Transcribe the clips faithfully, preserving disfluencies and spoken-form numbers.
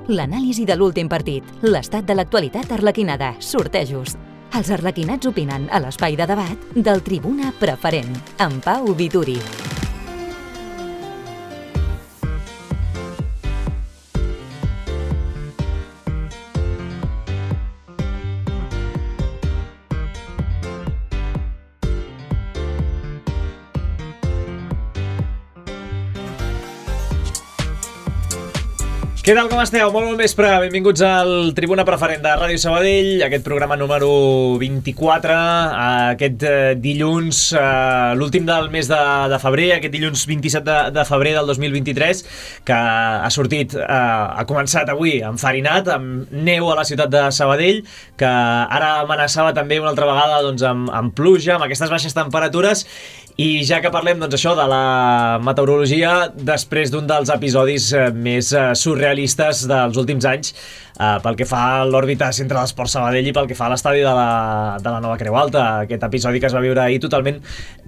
L'anàlisi de l'últim partit, l'estat de l'actualitat arlequinada, sortejos. Els arlequinats opinen a l'espai de debat del Tribuna Preferent, amb Pau Vituri. Què tal, com esteu? Molt bon vespre, benvinguts al Tribuna Preferent de Ràdio Sabadell, aquest programa número vint-i-quatre, aquest dilluns, l'últim del mes de, de febrer, aquest dilluns vint-i-set de, de febrer del dos mil vint-i-tres, que ha sortit, ha començat avui enfarinat, amb neu a la ciutat de Sabadell, que ara amenaçava també una altra vegada doncs, amb, amb pluja, amb aquestes baixes temperatures. I ja que parlem doncs, això de la meteorologia, després d'un dels episodis més surrealistes dels últims anys, eh, pel que fa a l'òrbita Centre d'Esports Sabadell i pel que fa a l'estadi de la, de la Nova Creu Alta, aquest episodi que es va viure ahir totalment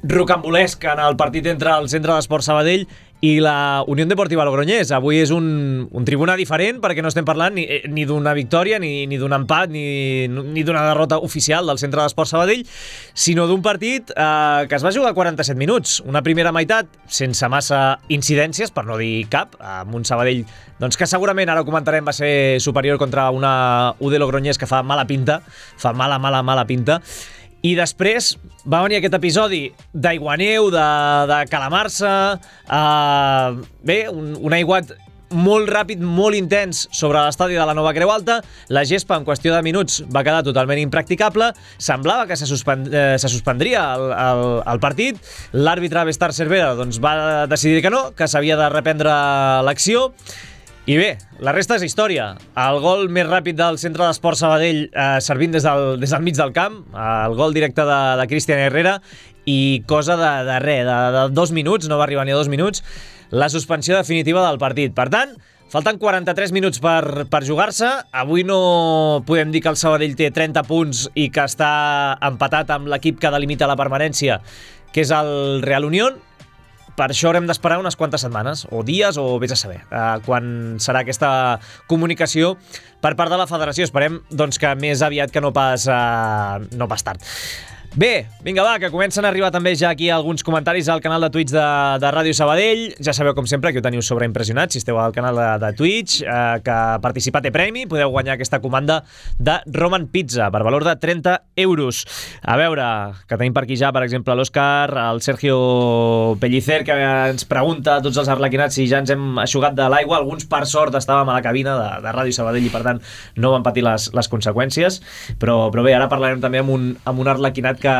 rocambolesc en el partit entre el Centre d'Esports Sabadell i la Unió Deportiva Logroñés. Avui és un, un tribuna diferent perquè no estem parlant ni, ni d'una victòria, ni, ni d'un empat, ni, ni d'una derrota oficial del Centre d'Esports Sabadell, sinó d'un partit eh, que es va jugar a quaranta-set minuts. Una primera meitat sense massa incidències, per no dir cap, amb un Sabadell doncs, que segurament, ara ho comentarem, va ser superior contra una U D Logroñés que fa mala pinta, fa mala, mala, mala pinta. I després va venir aquest episodi d'aiguaneu, de, de calamar-se, eh, bé, un, un aiguat molt ràpid, molt intens sobre l'estadi de la Nova Creu Alta. La gespa en qüestió de minuts va quedar totalment impracticable. Semblava que se, suspend, eh, se suspendria el, el, el partit. L'àrbitre Bestar Cervera doncs, va decidir que no, que s'havia de reprendre l'acció. I bé, la resta és història. El gol més ràpid del Centre d'Esports Sabadell eh, servint des del, des del mig del camp, el gol directe de, de Cristian Herrera, i cosa de, de res, de, de dos minuts, no va arribar ni a dos minuts, la suspensió definitiva del partit. Per tant, falten quaranta-tres minuts per, per jugar-se. Avui no podem dir que el Sabadell té trenta punts i que està empatat amb l'equip que delimita la permanència, que és el Real Unión. Per això haurem d'esperar unes quantes setmanes, o dies, o vés a saber, eh, quan serà aquesta comunicació per part de la federació. Esperem doncs, que més aviat que no pas, eh, no pas tard. Bé, vinga va, que comencen a arribar també ja aquí alguns comentaris al canal de Twitch de, de Ràdio Sabadell. Ja sabeu, com sempre, que ho teniu sobreimpressionat si esteu al canal de, de Twitch, eh, que participar té premi, podeu guanyar aquesta comanda de Roman Pizza per valor de trenta euros. A veure, que tenim per aquí ja, per exemple, l'Òscar, el Sergio Pellicer, que ens pregunta a tots els arlequinats si ja ens hem eixugat de l'aigua. Alguns, per sort, estàvem a la cabina de, de Ràdio Sabadell i, per tant, no van patir les, les conseqüències. Però, però bé, ara parlarem també amb un, amb un arlequinat que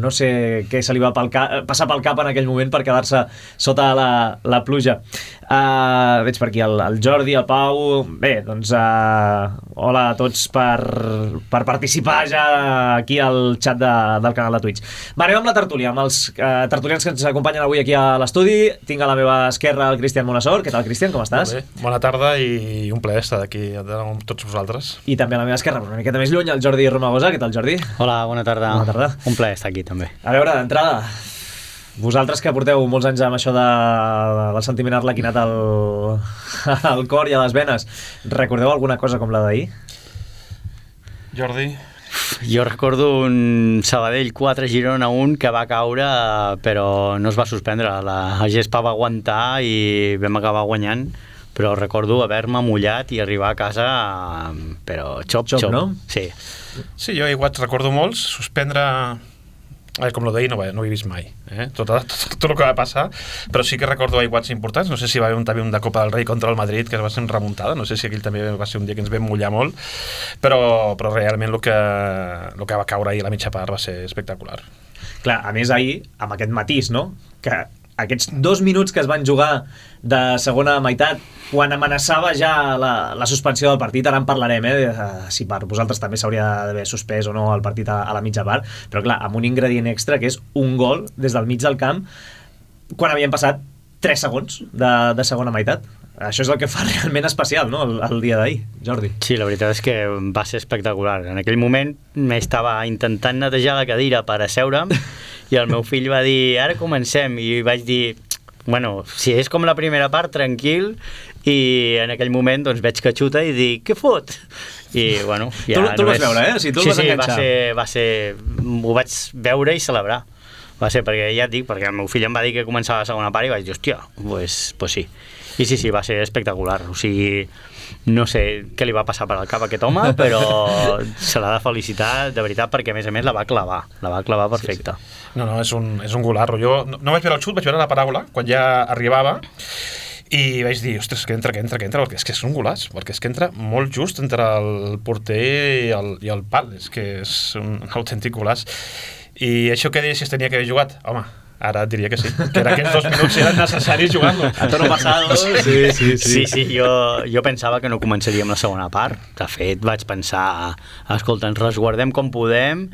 no sé què se li va pel cap, passar pel cap en aquell moment per quedar-se sota la, la pluja. Uh, veig per aquí el, el Jordi, el Pau. Bé, doncs uh, hola a tots per, per participar ja aquí al xat de, del canal de Twitch. Va, anem amb la tertúlia, amb els uh, tertulians que ens acompanyen avui aquí a l'estudi. Tinc a la meva esquerra el Cristian Monassor. Què tal, Cristian? Com estàs? Molt bé. Bona tarda i un plaer estar aquí amb tots vosaltres. I també a la meva esquerra, una miqueta més lluny, el Jordi Romagosa. Què tal, Jordi? Hola, bona tarda. Bona tarda. Un plaer estar aquí també. A veure, d'entrada, vosaltres que porteu molts anys amb això de, del sentiment arlequinat al, al cor i a les venes, recordeu alguna cosa com la d'ahir? Jordi? Jo recordo un Sabadell quatre, Girona un, que va caure però no es va suspendre. La gespa va aguantar i vam acabar guanyant, però recordo haver-me mullat i arribar a casa però xop, xop, xop, no? Sí. Sí, jo igual recordo molts. Suspendre, a veure, com lo d'ahir no, no ho he vist mai, eh? tot, tot, tot, tot el que va passar, però sí que recordo aiguats importants. No sé si va haver un, també un de Copa del Rei contra el Madrid, que va ser una remuntada, no sé si aquell també va ser un dia que ens vam mullar molt, però, però realment el que, el que va caure ahir a la mitja part va ser espectacular. Clar, a més ahir, amb aquest matís, no?, que aquests dos minuts que es van jugar de segona meitat, quan amenaçava ja la, la suspensió del partit, ara en parlarem, eh, si per vosaltres també s'hauria d'haver suspès o no el partit a, a la mitja part, però clar, amb un ingredient extra que és un gol des del mig del camp quan havien passat tres segons de, de segona meitat. Això és el que fa realment especial, no?, el, el dia d'ahir, Jordi. Sí, la veritat és que va ser espectacular. En aquell moment m'estava intentant netejar la cadira per asseure'm i el meu fill va dir, ara comencem, i vaig dir, bueno, si és com la primera part, tranquil, i en aquell moment doncs, veig que xuta i dic, què fot? I, bueno, ja tu, tu el vas veure, eh? O sigui, tu sí, el vas sí, enganxar. Va ser, va ser... Ho vaig veure i celebrar. Va ser perquè, ja et dic, perquè el meu fill em va dir que començava la segona part i vaig dir, hòstia, pues, pues sí. I sí, sí, va ser espectacular. O sigui, no sé què li va passar per al cap a aquest home, però se l'ha de felicitar, de veritat, perquè a més a més la va clavar. La va clavar perfecta. Sí, sí. No, no, és un, és un golarro. Jo no, no vaig veure el xut, vaig veure la paràbola, quan ja arribava, i vaig dir, ostres, que entra, que entra, que entra, perquè és que és un golaç, perquè és que entra molt just entre el porter i el, i el pal, és que és un autèntic golaç. I això que deies si es tenia que haver jugat, home, ara et diria que sí, que en aquests dos minuts eren necessaris jugar-lo. A tono pasado, sí, sí, sí. Sí, sí, jo, jo pensava que no començaríem la segona part. De fet, vaig pensar, escolta, ens resguardem com podem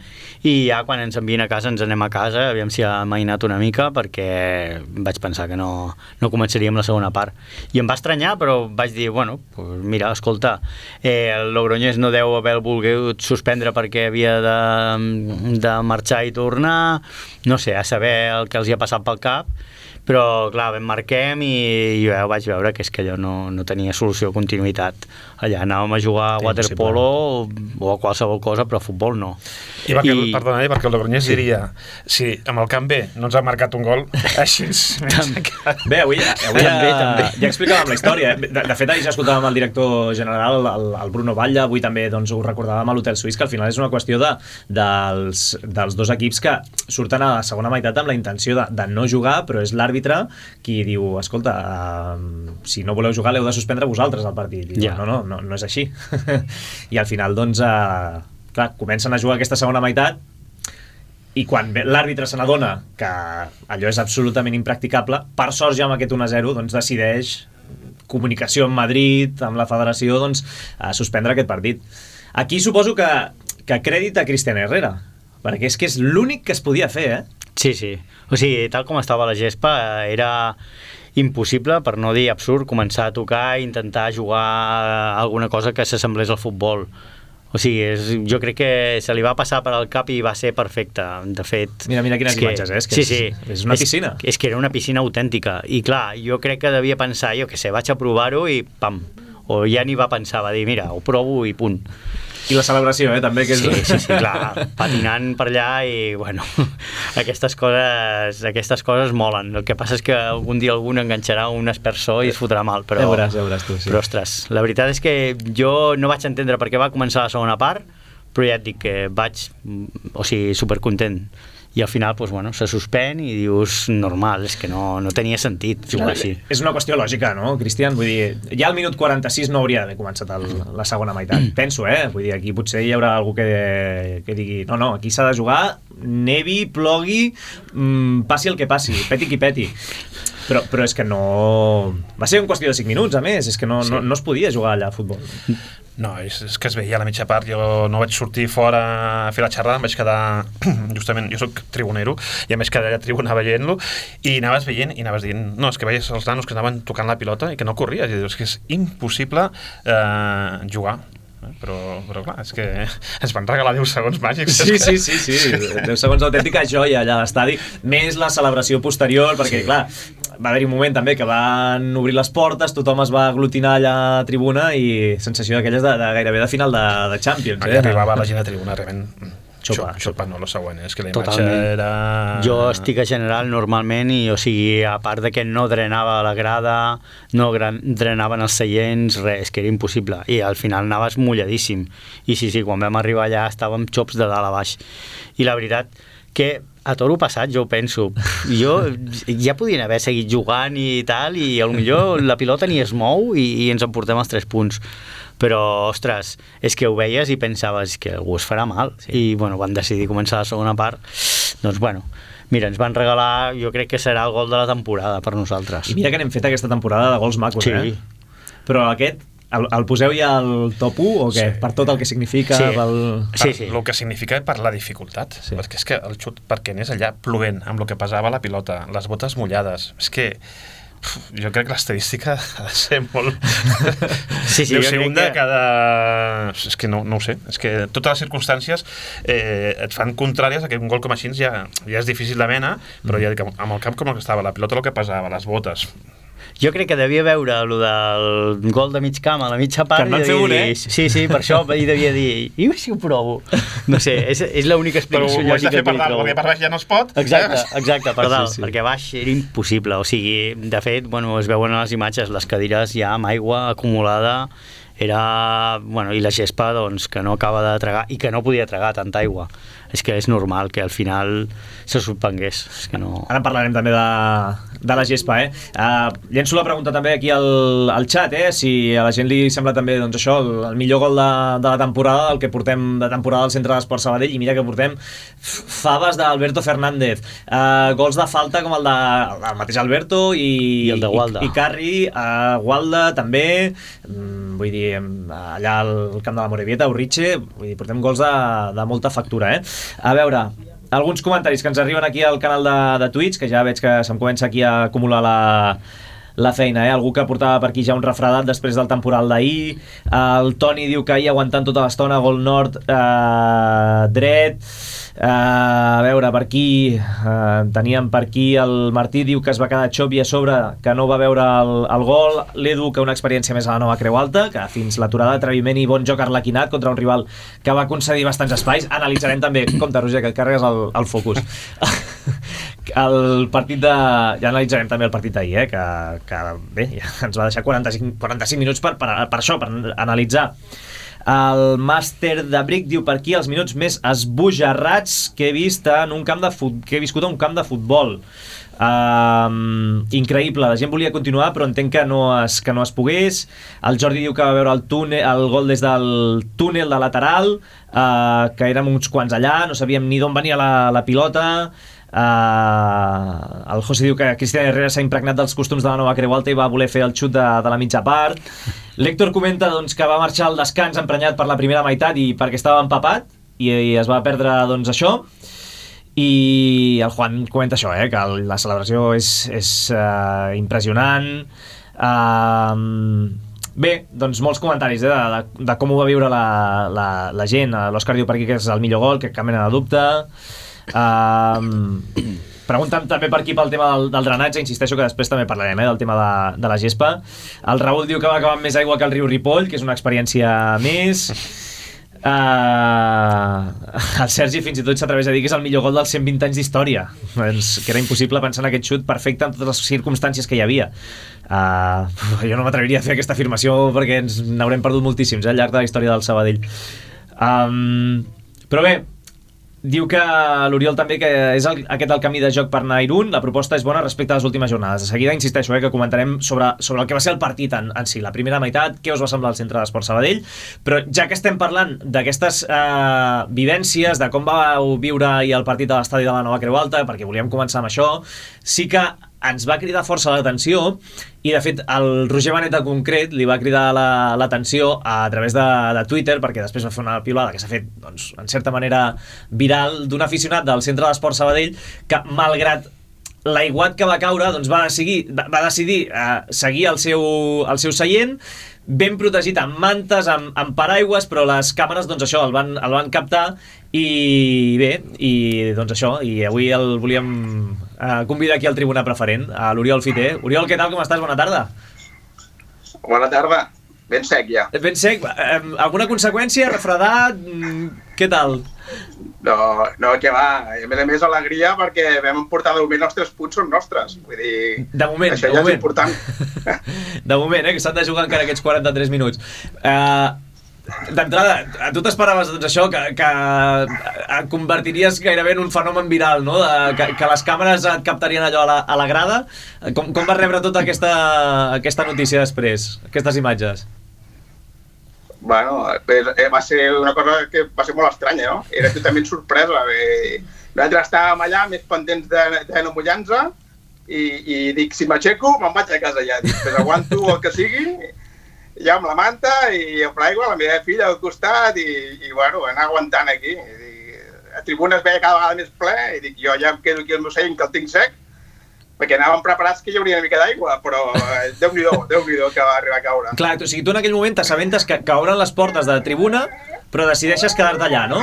i ja quan ens envien a casa ens anem a casa, aviam si ha amainat una mica, perquè vaig pensar que no, no començaríem la segona part. I em va estranyar, però vaig dir, bueno, pues mira, escolta, eh, el Logroñés no deu haver volgut suspendre perquè havia de, de marxar i tornar, no sé, a saber el que els hi ha passat pel cap, però clar, ben marquem i jo vaig veure que és que allò no, no tenia solució de continuïtat. Allà anàvem a jugar a waterpolo o, o a qualsevol cosa, però a futbol no. I perquè, I... perdona, eh, perquè el Logroñés sí. diria, si amb el camp B no ens ha marcat un gol, així és. Bé, avui, avui també, ja, també. ja explicàvem la història. De, de fet, ahir ja escoltàvem el director general, el, el Bruno Batlle, avui també doncs, ho recordàvem a l'Hotel Suís, que al final és una qüestió de, dels, dels dos equips que surten a la segona meitat amb la intenció de, de no jugar, però és l'àrbitre qui diu, escolta, uh, si no voleu jugar l'heu de suspendre vosaltres el partit. I yeah. diu, no, no, no, no és així. I al final, doncs, uh, clar, comencen a jugar aquesta segona meitat i quan l'àrbitre se n'adona que allò és absolutament impracticable, per sort ja amb aquest u a zero doncs decideix, comunicació amb Madrid, amb la federació, doncs, a suspendre aquest partit. Aquí suposo que, que crèdit a Cristian Herrera, perquè és que és l'únic que es podia fer, eh? Sí, sí. O sigui, tal com estava la gespa, era impossible, per no dir absurd, començar a tocar i intentar jugar alguna cosa que s'assemblés al futbol. O sigui, és, jo crec que se li va passar per al cap i va ser perfecte. De fet... Mira, mira quines que, imatges, eh? És que sí, és, sí. és una piscina. És, és que era una piscina autèntica. I clar, jo crec que devia pensar, jo que sé, vaig a provar-ho i pam. O ja ni va pensar, va dir, mira, ho provo i punt. I la celebració, eh, també. Que és... Sí, sí, sí, clar, patinant per allà i, bueno, aquestes coses, aquestes coses molen. El que passa és que algun dia algun enganxarà un espersó i es fotrà mal, però... Ja veuràs, ja veuràs tu, sí. Però, ostres, la veritat és que jo no vaig entendre per què va començar la segona part, però ja et dic que vaig, o sigui, supercontent. I al final, doncs, bueno, se suspèn i dius, normal, és que no, no tenia sentit jugar així. És una qüestió lògica, no, Cristian? Vull dir, ja al minut quaranta-sis no hauria d'haver començat el, la segona meitat. Penso, eh? Vull dir, aquí potser hi haurà algú que, que digui, no, no, aquí s'ha de jugar, nevi, plogui, mmm, passi el que passi, peti qui peti. Però, però és que no... Va ser en qüestió de cinc minuts, a més, és que no, sí. no, no es podia jugar allà a futbol. No, és, és que es veia a la mitja part, jo no vaig sortir fora a fer la xerrada, em vaig quedar, justament, jo soc tribunero, i em vaig quedar allà a tribuna veient-lo, i anaves veient, i anaves dient, no, és que veies els nanos que anaven tocant la pilota i que no corries, i dius que és impossible eh, jugar. Però, però clar, és que ens van regalar deu segons màgics. Sí, sí, sí, sí. deu segons d'autèntica joia allà a l'estadi, més la celebració posterior, perquè sí. clar, va haver-hi un moment també que van obrir les portes, tothom es va aglutinar allà a tribuna i sensació d'aquelles de, de gairebé de final de, de Champions. Eh? Arribava la gent a tribuna realment... Xopa, xopa, no, lo següent, és que la imatge Totalment. Era... Jo estic a general normalment i, o sigui, a part de que no drenava la grada, no gran, drenaven els seients, res, és que era impossible. I al final anaves mulladíssim. I sí, sí, quan vam arribar allà estàvem xops de dalt a baix. I la veritat que a toro passat jo ho penso, jo ja podien haver seguit jugant i tal, i potser la pilota ni es mou i, i ens emportem els tres punts. Però, ostres, és que ho veies i pensaves que algú es farà mal. Sí. I, bueno, van decidir començar la segona part. Doncs, bueno, mira, ens van regalar, jo crec que serà el gol de la temporada per nosaltres. I mira que n'hem fet aquesta temporada de gols macos, sí. eh? Però aquest, el, el poseu ja al top u o què? Sí. Per tot el que significa? Sí, pel... sí, sí. El que significa per la dificultat. Sí. Perquè és que el xut, perquè anés allà plovent, amb el que pesava la pilota, les botes mullades, és que jo crec que l'estadística ha de ser molt... Sí, sí, Deu jo ser crec un de que... cada... És que no, no ho sé. És que totes les circumstàncies eh, et fan contràries a que un gol com així ja, ja és difícil de mena, però ja dic, amb el camp com el que estava, la pilota el que pesava, les botes... Jo crec que devia veure el del gol de mig camp a la mitja part. Que en van fer un, eh? Sí, sí, per això hi devia dir, i si ho provo? No sé, és, és l'única Però explicació ho has de lògica fer per que li dalt, trobo. perquè per baix ja no es pot. Exacte, exacte, per dalt, Sí, sí. perquè a baix era impossible. O sigui, de fet, bueno, es veuen a les imatges, les cadires ja amb aigua acumulada, era... Bueno, i la gespa, doncs, que no acaba de tragar, i que no podia tragar tanta aigua. És que és normal que al final se suspengués. És que no... Ara en parlarem també de, de la gespa, eh? Uh, llenço la pregunta també aquí al, al xat, eh? Si a la gent li sembla també, doncs això, el, el millor gol de, de la temporada, el que portem de temporada al Centre d'Esport Sabadell, i mira que portem faves d'Alberto Fernández, uh, gols de falta com el de el mateix Alberto i, I el de Gualda. i, i Carri, uh, Gualda també, mm, vull dir, allà al camp de la Morevieta, Urriche, vull dir, portem gols de, de molta factura, eh? A veure, alguns comentaris que ens arriben aquí al canal de, de Twitch, que ja veig que se'm comença aquí a acumular la, la feina, eh? Algú que portava per aquí ja un refredat després del temporal d'ahir. El Toni diu que ahir aguantant tota l'estona, gol nord eh, dret. Uh, a veure, per aquí uh, teníem per aquí el Martí diu que es va quedar xopi a sobre, que no va veure el, el gol. L'Edu, que una experiència més a la nova Creu Alta, que fins l'aturada d'atreviment i bon joc arlequinat contra un rival que va concedir bastants espais. Analitzarem també, compte Roger, que et carregues el, el focus el partit de... ja analitzarem també el partit d'ahir, eh? que, que bé, ja ens va deixar quaranta-cinc, quaranta-cinc minuts per, per, per això, per analitzar. El màster de Bric diu per aquí els minuts més esbojarrats que he vist en un camp de fut... que he viscut a un camp de futbol. Um, increïble, la gent volia continuar però entenc que no es, que no es pogués. El Jordi diu que va veure el, túnel, el gol des del túnel de lateral, uh, que érem uns quants allà, no sabíem ni d'on venia la, la pilota. Uh, el José diu que Cristian Herrera s'ha impregnat dels costums de la nova Creu Alta i va voler fer el xut de, de la mitja part. L'Héctor comenta doncs, que va marxar al descans emprenyat per la primera meitat i perquè estava empapat i, i es va perdre doncs, això. I el Juan comenta això, eh, que la celebració és, és uh, impressionant. Uh, bé, doncs molts comentaris eh, de, de, de com ho va viure la, la, la gent. L'Òscar diu per aquí que és el millor gol, que cap mena de dubte. Uh, pregunten també per aquí pel tema del, del drenatge, insisteixo que després també parlarem eh, del tema de, de la gespa. El Raül diu que va acabar amb més aigua que el riu Ripoll, que és una experiència més. Uh, el Sergi fins i tot s'atreveix a dir que és el millor gol dels cent vint anys d'història, doncs, que era impossible pensar en aquest xut perfecte en totes les circumstàncies que hi havia. Uh, jo no m'atreviria a fer aquesta afirmació perquè ens n'haurem perdut moltíssims eh, al llarg de la història del Sabadell. Um, però bé, diu que l'Oriol també que és el, aquest el camí de joc per anar a Irún. La proposta és bona respecte a les últimes jornades. De seguida insisteixo eh, que comentarem sobre, sobre el que va ser el partit en, en si, la primera meitat, què us va semblar el Centre d'Esport Sabadell, però ja que estem parlant d'aquestes eh, vivències, de com vau viure ahir el partit a l'estadi de la nova Creu Alta, perquè volíem començar amb això, sí que ens va cridar força l'atenció i de fet el Roger Benet en concret li va cridar l'atenció la, a través de, de Twitter, perquè després va fer una piulada que s'ha fet doncs, en certa manera viral d'un aficionat del Centre d'Esport Sabadell que malgrat l'aiguat que va caure doncs va decidir, va decidir eh, seguir el seu, el seu seient ben protegit amb mantes, amb, amb paraigües, però les càmeres doncs això el van, el van captar i bé, i doncs això, i avui el volíem eh, convidar aquí al Tribuna Preferent, a l'Oriol Fiter. Oriol, què tal, com estàs? Bona tarda. Bona tarda, ben sec ja. Ben sec, eh, alguna conseqüència? Refredat? Què tal? No, no, que va, a més a més alegria perquè vam emportar de moment els tres punts són nostres, vull dir, de moment, això de ja moment. És important. De moment, eh, que s'han de jugar encara aquests quaranta-tres minuts. Eh... D'entrada, tu t'esperaves doncs, això, que, que et convertiries gairebé en un fenomen viral, no? De, que, que les càmeres et captarien allò a la, a la grada. Com, com vas rebre tota aquesta, aquesta notícia després, aquestes imatges? Bueno, va ser una cosa que va ser molt estranya, no? Era totalment sorpresa. Nosaltres estàvem allà més pendents de, de no mullar-nos i, i dic, si m'aixeco, me'n vaig a casa ja. Dic, pues aguanto el que sigui, ja amb la manta i amb l'aigua, la meva filla al costat i, i bueno, anar aguantant aquí. I, a tribuna es veia cada vegada més ple i dic, jo ja em quedo aquí al meu seient que el tinc sec perquè anàvem preparats que hi hauria una mica d'aigua, però eh, Déu-n'hi-do, Déu-n'hi-do que va arribar a caure. Clar, o sigui, tu en aquell moment t'assabentes que, que obren les portes de tribuna, però decideixes quedar-te allà, no?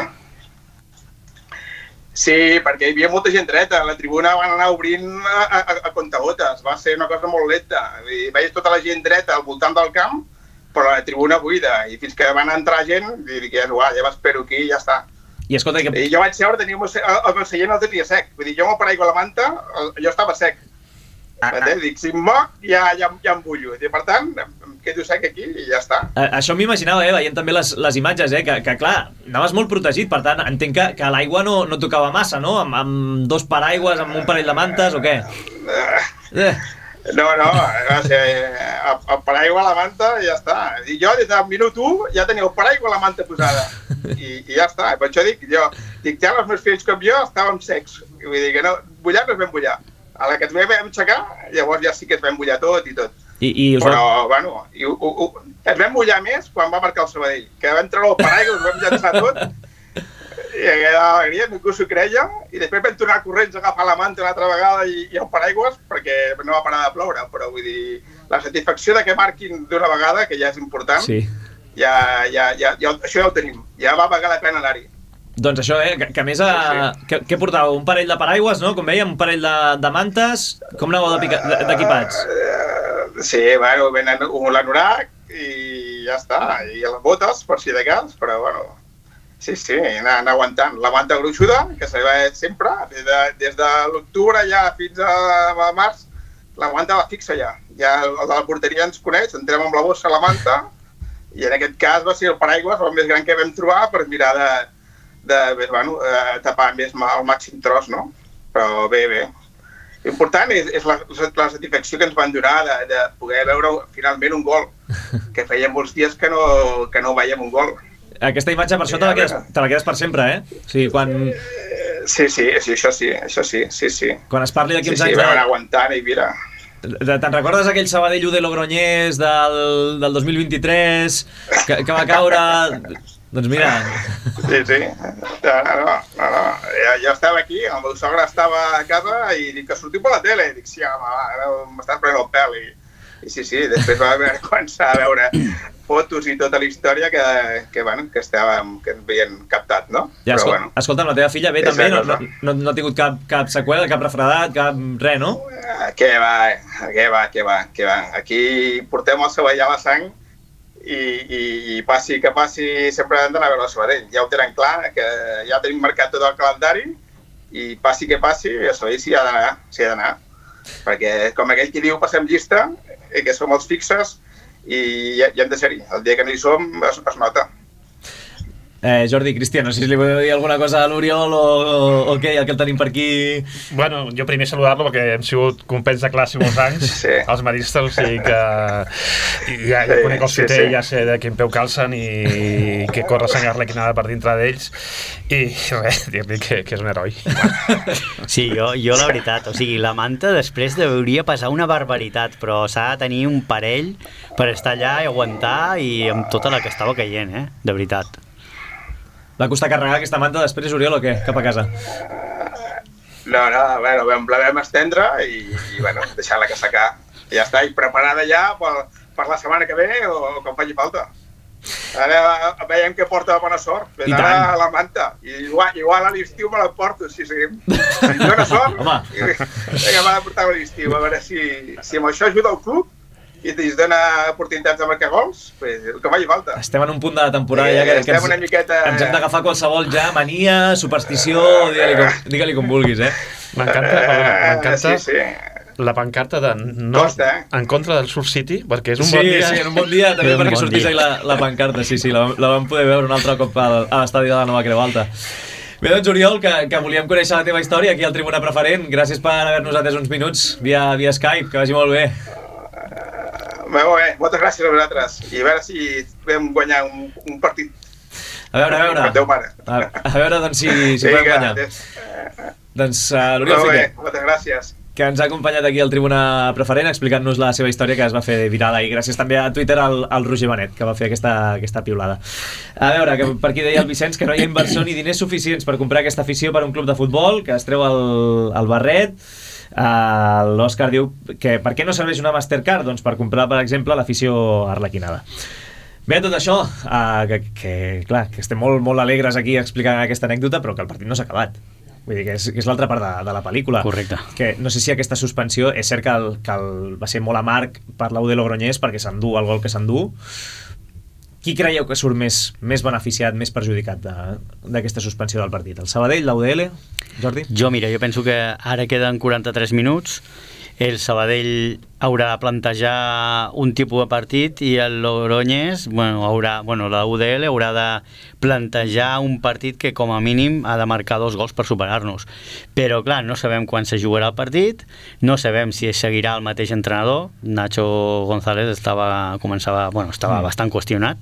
Sí, perquè hi havia molta gent dreta, la tribuna van anar obrint a, a, a contagotes, va ser una cosa molt lenta. I veies tota la gent dreta al voltant del camp, però la tribuna buida, i fins que van entrar gent, i dic, ja, ja m'espero aquí i ja està. I escolta, que... I jo vaig seure, tenia el meu seient el tenia sec. Vull dir, jo amb el paraigua a la manta, jo estava sec. Ah, ah. Dic, si em moc, ja, ja, ja em bullo. I per tant, em quedo sec aquí i ja està. A, això m'imaginava, eh, veient també les, les imatges, eh, que, que clar, anaves molt protegit, per tant, entenc que, que l'aigua no, no tocava massa, no? Amb, amb dos paraigües, amb un parell de mantes, o què? Eh. No, no, va ser el, el paraigua a la manta i ja està. I jo des del minut u ja tenia el paraigua a la manta posada. I, i ja està. Per això dic, jo, dic, ja els meus fills com jo estàvem secs. Vull dir que no, bullar no es vam bullar. A la que ens vam aixecar, llavors ja sí que es vam bullar tot i tot. I, i us Però, va... bueno, i, u, u, ens vam bullar més quan va marcar el Sabadell, que vam treure el paraigua, us vam llançar tot, i aquella alegria, ningú s'ho creia, i després vam tornar corrents a agafar la manta una altra vegada i, i el paraigües, perquè no va parar de ploure, però vull dir, la satisfacció de que marquin d'una vegada, que ja és important, sí. ja, ja, ja, ja, això ja ho tenim, ja va valer la pena anar-hi. Doncs això, eh, que, que a més, a... sí, sí. Que, què portàveu? Un parell de paraigües, no? Com vèiem, un parell de, de mantes, com anàveu d'equipats? Uh, sí, bueno, venen un l'anorac i ja està, i les botes, per si de cas, però bueno... Sí, sí, anar, anar aguantant. La manta gruixuda, que se va sempre, des de, des de l'octubre ja fins a, a març, la manta la fixa ja. Ja el de la porteria ens coneix, entrem amb la bossa a la manta, i en aquest cas va ser el paraigües el més gran que vam trobar per mirar de, de, de bueno, eh, tapar més el màxim tros, no? Però bé, bé. L'important és, és la, la satisfacció que ens van donar de, de poder veure finalment un gol, que feia molts dies que no, que no veiem un gol. Aquesta imatge, per això te la, quedes, te la quedes per sempre, eh? O sigui, quan... Sí, sí, sí, això sí, això sí, sí, sí. Quan es parli d'aquí uns sí, anys... Sí, sí, vam anar aguantant i mira... Te'n recordes aquell Sabadell u de Logroñés del, del dos mil vint-i-tres que, que va caure... Doncs mira... Sí, sí. No, no, no, no. Jo, jo estava aquí, el meu sogre estava a casa i dic que sortiu per la tele. I dic, sí, home, va, m'estàs prenent el pèl. I, i sí, sí, després va haver començar a veure fotos i tota la història que, que, bueno, que estàvem, que ens havien captat, no? Ja, Però, escol bueno, escolta'm, la teva filla bé també, no, no, no, no ha tingut cap, cap seqüela, cap refredat, cap res, no? Què va, què va, què va, què va. Aquí portem el Sabadell a la sang i, i, i passi que passi sempre hem d'anar a veure el Sabadell. Ja ho tenen clar, que ja tenim marcat tot el calendari i passi que passi, el Sabadell s'hi ha d'anar, s'hi ha d'anar. Perquè, com aquell que diu, passem llista, que som els fixes, i ja, ja hem de ser-hi. El dia que no hi som es, es nota. Eh, Jordi, Cristian, no sé si li podeu dir alguna cosa a l'Oriol o, o, o què, el que el tenim per aquí... Bueno, jo primer saludar-lo perquè hem sigut companys de classe molts anys, sí. Els maristes, o sigui que ja, ja sí, conec el Soter, sí, sí. Ja sé de quin peu calcen i que corre sang arlequinada per dintre d'ells i res, dir-li que, que és un heroi. Sí, jo, jo la veritat, o sigui, la manta després hauria passar una barbaritat, però s'ha de tenir un parell per estar allà i aguantar i amb tota la que estava caient, eh? De veritat. Va costar carregar aquesta manta després, Oriol, o què? Cap a casa? No, no, bueno, vam, la vam estendre i, i bueno, deixar-la que secar. I ja està, i preparada ja per, per la setmana que ve o, o quan faci falta. Ara veiem que porta bona sort. Ves ara a la manta. I igual, igual a l'estiu me la porto, si seguim. Si dona sort, vinga, m'ha de portar a l'estiu. A veure si, si amb això ajuda el club i ens dona oportunitats de marcar gols, pues, que faci falta. Estem en un punt de la temporada eh, ja que, que ens, miqueta... ens hem d'agafar qualsevol ja mania, superstició, digue-li com, digue-li com vulguis, eh? M'encanta, m'encanta sí, sí. La pancarta de no, Costa, eh? En contra del Surf City, perquè és un sí, bon dia. Sí, sí, en un bon dia també perquè bon sortís ahí la, la pancarta, sí, sí, la, la vam poder veure un altre cop a, a l'estadi de la Nova Creu Alta. Bé, doncs, Oriol, que, que volíem conèixer la teva història aquí al Tribuna Preferent. Gràcies per haver-nos atès uns minuts via, via Skype, que vagi molt bé. Molt bé, moltes gràcies a vosaltres. I a veure si vam guanyar un, un partit. A veure, a veure. Déu mare. A, a veure, doncs, si, si podem guanyar. Des... Doncs, uh, l'Oriol Fiquer. Fiquer. Moltes gràcies. Que ens ha acompanyat aquí al Tribuna Preferent explicant-nos la seva història que es va fer virada. I gràcies també a Twitter al, al Roger Benet, que va fer aquesta, aquesta piulada. A veure, que per aquí deia el Vicenç que no hi ha inversió ni diners suficients per comprar aquesta afició per un club de futbol, que es treu el, el barret. Uh, L'Òscar diu que per què no serveix una Mastercard? Doncs per comprar, per exemple, l'afició arlequinada. Bé, tot això, uh, que, que, clar, que estem molt, molt alegres aquí explicant aquesta anècdota, però que el partit no s'ha acabat. Vull dir que és, que és l'altra part de, de la pel·lícula. Correcte. Que no sé si aquesta suspensió, és cert que, el, que el, va ser molt amarg per l'U D Logroñés perquè s'endú el gol que s'endú. Qui creieu que surt més, més beneficiat, més perjudicat d'aquesta suspensió del partit? El Sabadell, l'U D L? Jordi? Jo, mira, jo penso que ara queden quaranta-tres minuts, el Sabadell haurà de plantejar un tipus de partit i el Logroñés, bueno, haurà, bueno, la U D L haurà de plantejar un partit que com a mínim ha de marcar dos gols per superar-nos. Però clar, no sabem quan se jugarà el partit, no sabem si seguirà el mateix entrenador. Nacho González estava, començava, bueno, estava mm. bastant qüestionat.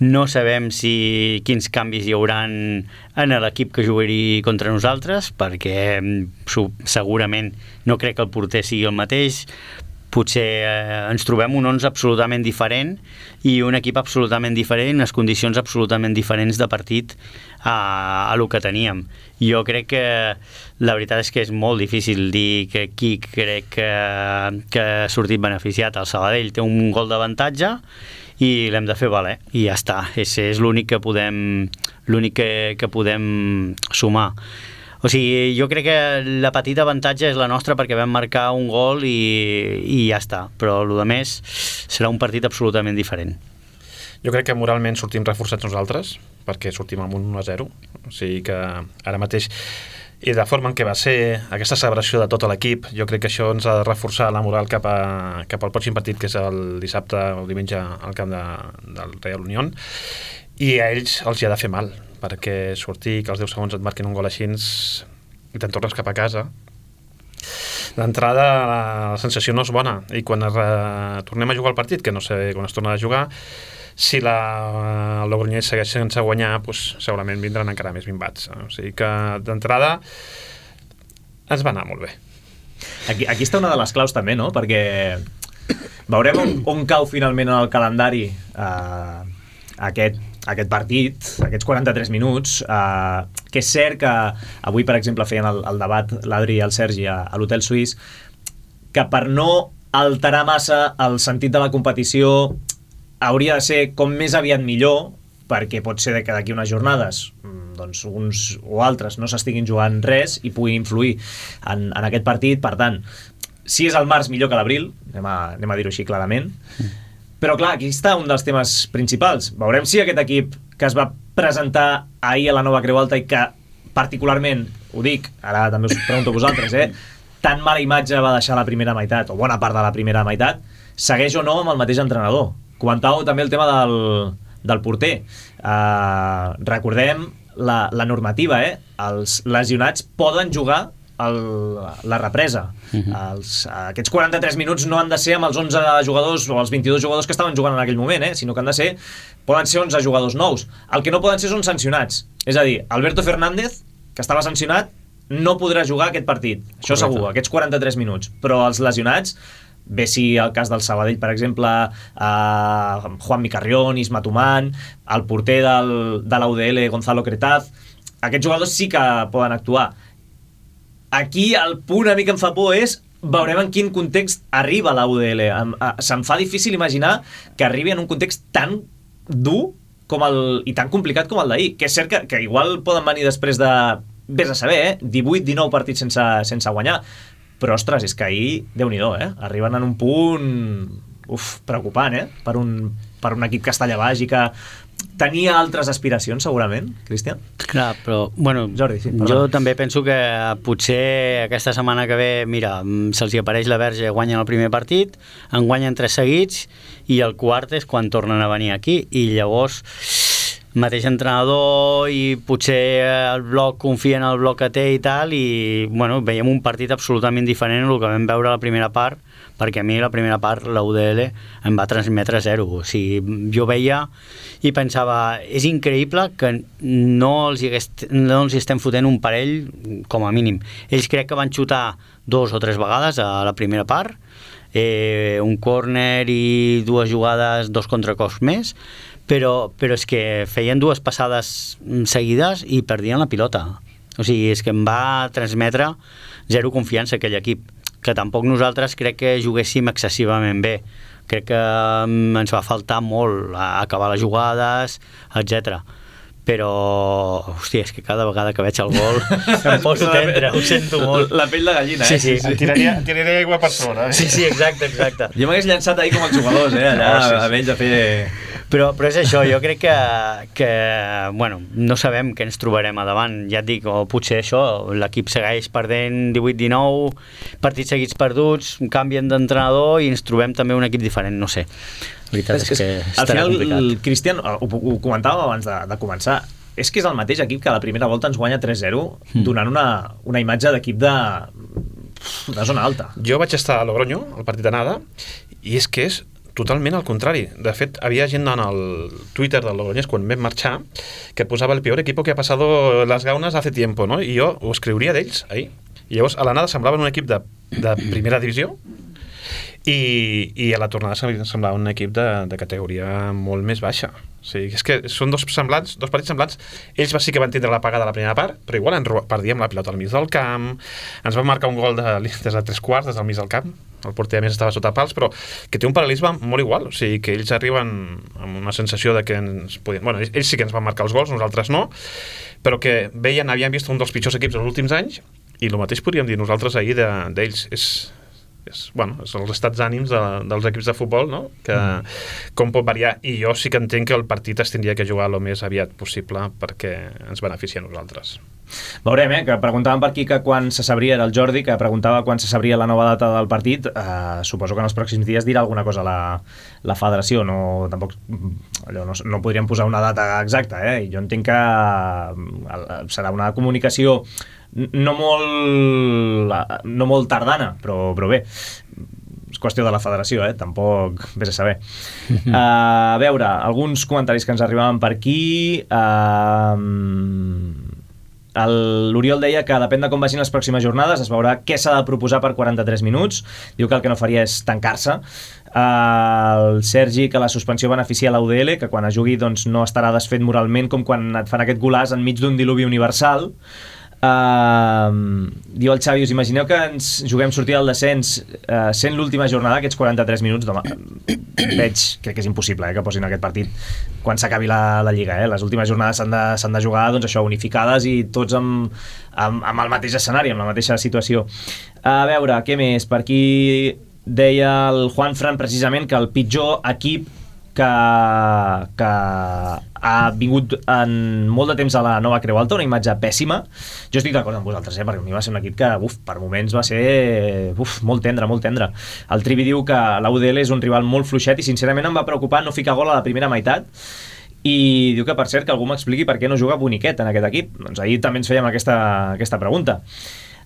No sabem si quins canvis hi hauran en l'equip que jugui contra nosaltres, perquè segurament no crec que el porter sigui el mateix. Potser eh, ens trobem un onze absolutament diferent i un equip absolutament diferent, les condicions absolutament diferents de partit a, a lo que teníem. Jo crec que la veritat és que és molt difícil dir que qui crec que, que ha sortit beneficiat. El Sabadell té un gol d'avantatge i l'hem de fer valer, i ja està. És, és l'únic que podem, l'únic que, que podem sumar. O sigui, jo crec que la petita avantatge és la nostra perquè vam marcar un gol i, i ja està, però el que més serà un partit absolutament diferent. Jo crec que moralment sortim reforçats nosaltres, perquè sortim amb un u a zero, o sigui que ara mateix, i de forma en què va ser aquesta celebració de tot l'equip, jo crec que això ens ha de reforçar la moral cap, a, cap al pròxim partit, que és el dissabte o el diumenge al camp de, del Real Unión, i a ells els hi ha de fer mal, perquè sortir que als deu segons et marquen un gol així i te'n tornes cap a casa. D'entrada la, la sensació no és bona, i quan es, uh, tornem a jugar el partit, que no sé quan es torna a jugar, si la, el Logroñés segueix sense guanyar, pues, segurament vindran encara més minvats. O sigui que d'entrada ens va anar molt bé. Aquí, aquí està una de les claus també, no? Perquè veurem on, on cau finalment en el calendari eh, aquest aquest partit, aquests quaranta-tres minuts, eh, que és cert que avui, per exemple, feien el, el debat l'Adri i el Sergi a, a l'Hotel Suís, que per no alterar massa el sentit de la competició hauria de ser com més aviat millor, perquè pot ser que d'aquí unes jornades doncs uns o altres no s'estiguin jugant res i puguin influir en, en aquest partit. Per tant, si és el març millor que l'abril, anem a, anem a dir-ho així clarament. Però clar, aquí està un dels temes principals. Veurem si aquest equip que es va presentar ahir a la Nova Creu Alta i que particularment, ho dic, ara també us pregunto a vosaltres, eh, tan mala imatge va deixar la primera meitat, o bona part de la primera meitat, segueix o no amb el mateix entrenador. Comentàveu també el tema del, del porter. Uh, recordem la, la normativa, eh? Els lesionats poden jugar El, la represa. Uh-huh. Els, aquests quaranta-tres minuts no han de ser amb els onze jugadors o els vint-i-dos jugadors que estaven jugant en aquell moment, eh? Sinó que han de ser, poden ser onze jugadors nous. El que no poden ser són sancionats. És a dir, Alberto Fernández, que estava sancionat, no podrà jugar aquest partit. Això Correcte. Segur, aquests quaranta-tres minuts. Però els lesionats, bé si el cas del Sabadell, per exemple, eh, Juan Micarrión, Isma Tumán, el porter del, de l'U D L, Gonzalo Cretaz, aquests jugadors sí que poden actuar. Aquí el punt a mi que em fa por és veurem en quin context arriba la U D L. Em, a, se'm fa difícil imaginar que arribi en un context tan dur com el, i tan complicat com el d'ahir, que és cert que, que igual poden venir després de, vés a saber, eh? divuit dinou partits sense, sense guanyar, però ostres, és que ahir, Déu-n'hi-do, eh? arriben en un punt uf, preocupant, eh? per, un, per un equip que està allà baix i que tenia altres aspiracions, segurament, Cristian? Clar, però, bueno, Jordi, sí, jo també penso que potser aquesta setmana que ve, mira, se'ls hi apareix la verge, guanyen el primer partit, en guanyen tres seguits, i el quart és quan tornen a venir aquí, i llavors mateix entrenador i potser el bloc confia en el bloc que té i tal, i bueno, veiem un partit absolutament diferent del que vam veure a la primera part, perquè a mi la primera part la U D L em va transmetre zero. O sigui, jo veia i pensava, és increïble que no els, hi hagués, no els hi estem fotent un parell com a mínim. Ells crec que van xutar dos o tres vegades a la primera part, eh, un córner i dues jugades, dos contracops més, però, però és que feien dues passades seguides i perdien la pilota. O sigui, és que em va transmetre zero confiança aquell equip. que tampoc nosaltres crec que juguéssim excessivament bé. Crec que ens va faltar molt a acabar les jugades, etcètera. Però, hòstia, és que cada vegada que veig el gol em poso tendre, ho sento molt. La pell de gallina, eh? Sí, sí. Em tiraria, em tiraria aigua per sobre. Eh? Sí, sí, exacte, exacte. Jo m'hagués llançat ahir com els jugadors, eh? Allà, Oh, sí, sí. amb ells a fer... Però, però és això, jo crec que, que bueno, no sabem què ens trobarem a davant. Ja et dic, o potser això, l'equip segueix perdent divuit dinou, partits seguits perduts, canvien d'entrenador i ens trobem també un equip diferent, no sé. La veritat és, és que al estarà final, complicat. el Cristian, ho, ho comentàvem abans de, de començar, és que és el mateix equip que a la primera volta ens guanya tres zero, mm. donant una, una imatge d'equip de, de zona alta. Jo vaig estar a Logroño, al partit d'anada, i és que és totalment al contrari. De fet, havia gent en el Twitter del Logroñés quan vam marxar que posava el peor equipo que ha pasado las gaunas hace tiempo, no? I jo ho escriuria d'ells ahir. I llavors a l'anada semblaven un equip de, de primera divisió i, i a la tornada semblava un equip de, de categoria molt més baixa. O sigui, és que són dos semblants, dos partits semblants. Ells sí que van tindre la pagada a la primera part, però igual ens perdíem la pilota al mig del camp, ens van marcar un gol de, des de tres quarts, des del mig del camp, el porter a més estava sota pals, però que té un paral·lelisme molt igual, o sigui, que ells arriben amb una sensació de que ens podien... Bueno, ells sí que ens van marcar els gols, nosaltres no, però que veien, havien vist un dels pitjors equips dels últims anys, i el mateix podríem dir nosaltres ahir d'ells. És... És, bueno, és els estats d'ànims de, dels equips de futbol, no? Que mm. com pot variar, i jo sí que entenc que el partit es tindria que jugar el més aviat possible perquè ens beneficia a nosaltres. Veurem, eh, que preguntàvem per aquí que quan se sabria, era el Jordi, que preguntava quan se sabria la nova data del partit. Eh, suposo que en els pròxims dies dirà alguna cosa la, la federació, no, tampoc, allò, no, no podríem posar una data exacta, eh? Jo entenc que serà una comunicació no molt no molt tardana, però, però bé, és qüestió de la federació, eh? Tampoc vés a saber. Uh, a veure, alguns comentaris que ens arribaven per aquí. uh, l'Oriol deia que depèn de com vagin les pròximes jornades es veurà què s'ha de proposar per quaranta-tres minuts. Diu que el que no faria és tancar-se. Uh, el Sergi, que la suspensió beneficia l'U D L, que quan es jugui doncs, no estarà desfet moralment com quan et fan aquest golàs enmig d'un diluvi universal. Uh, diu el Xavi, us imagineu que ens juguem sortir del descens uh, sent l'última jornada, aquests quaranta-tres minuts? Home, veig, crec que és impossible eh, que posin aquest partit quan s'acabi la, la Lliga, eh? Les últimes jornades s'han de, s'han de jugar doncs, això, unificades i tots amb, amb, amb el mateix escenari, amb la mateixa situació. A veure, què més? Per aquí deia el Juan Fran precisament que el pitjor equip que, que ha vingut en molt de temps a la Nova Creu Alta, una imatge pèssima. Jo estic d'acord amb vosaltres, eh? Perquè a mi va ser un equip que uf, per moments va ser uf, molt tendre, molt tendre. El Trivi diu que l'U D L és un rival molt fluixet i sincerament em va preocupar no ficar gol a la primera meitat, i diu que per cert que algú m'expliqui per què no juga Boniquet en aquest equip. Doncs ahir també ens fèiem aquesta, aquesta pregunta.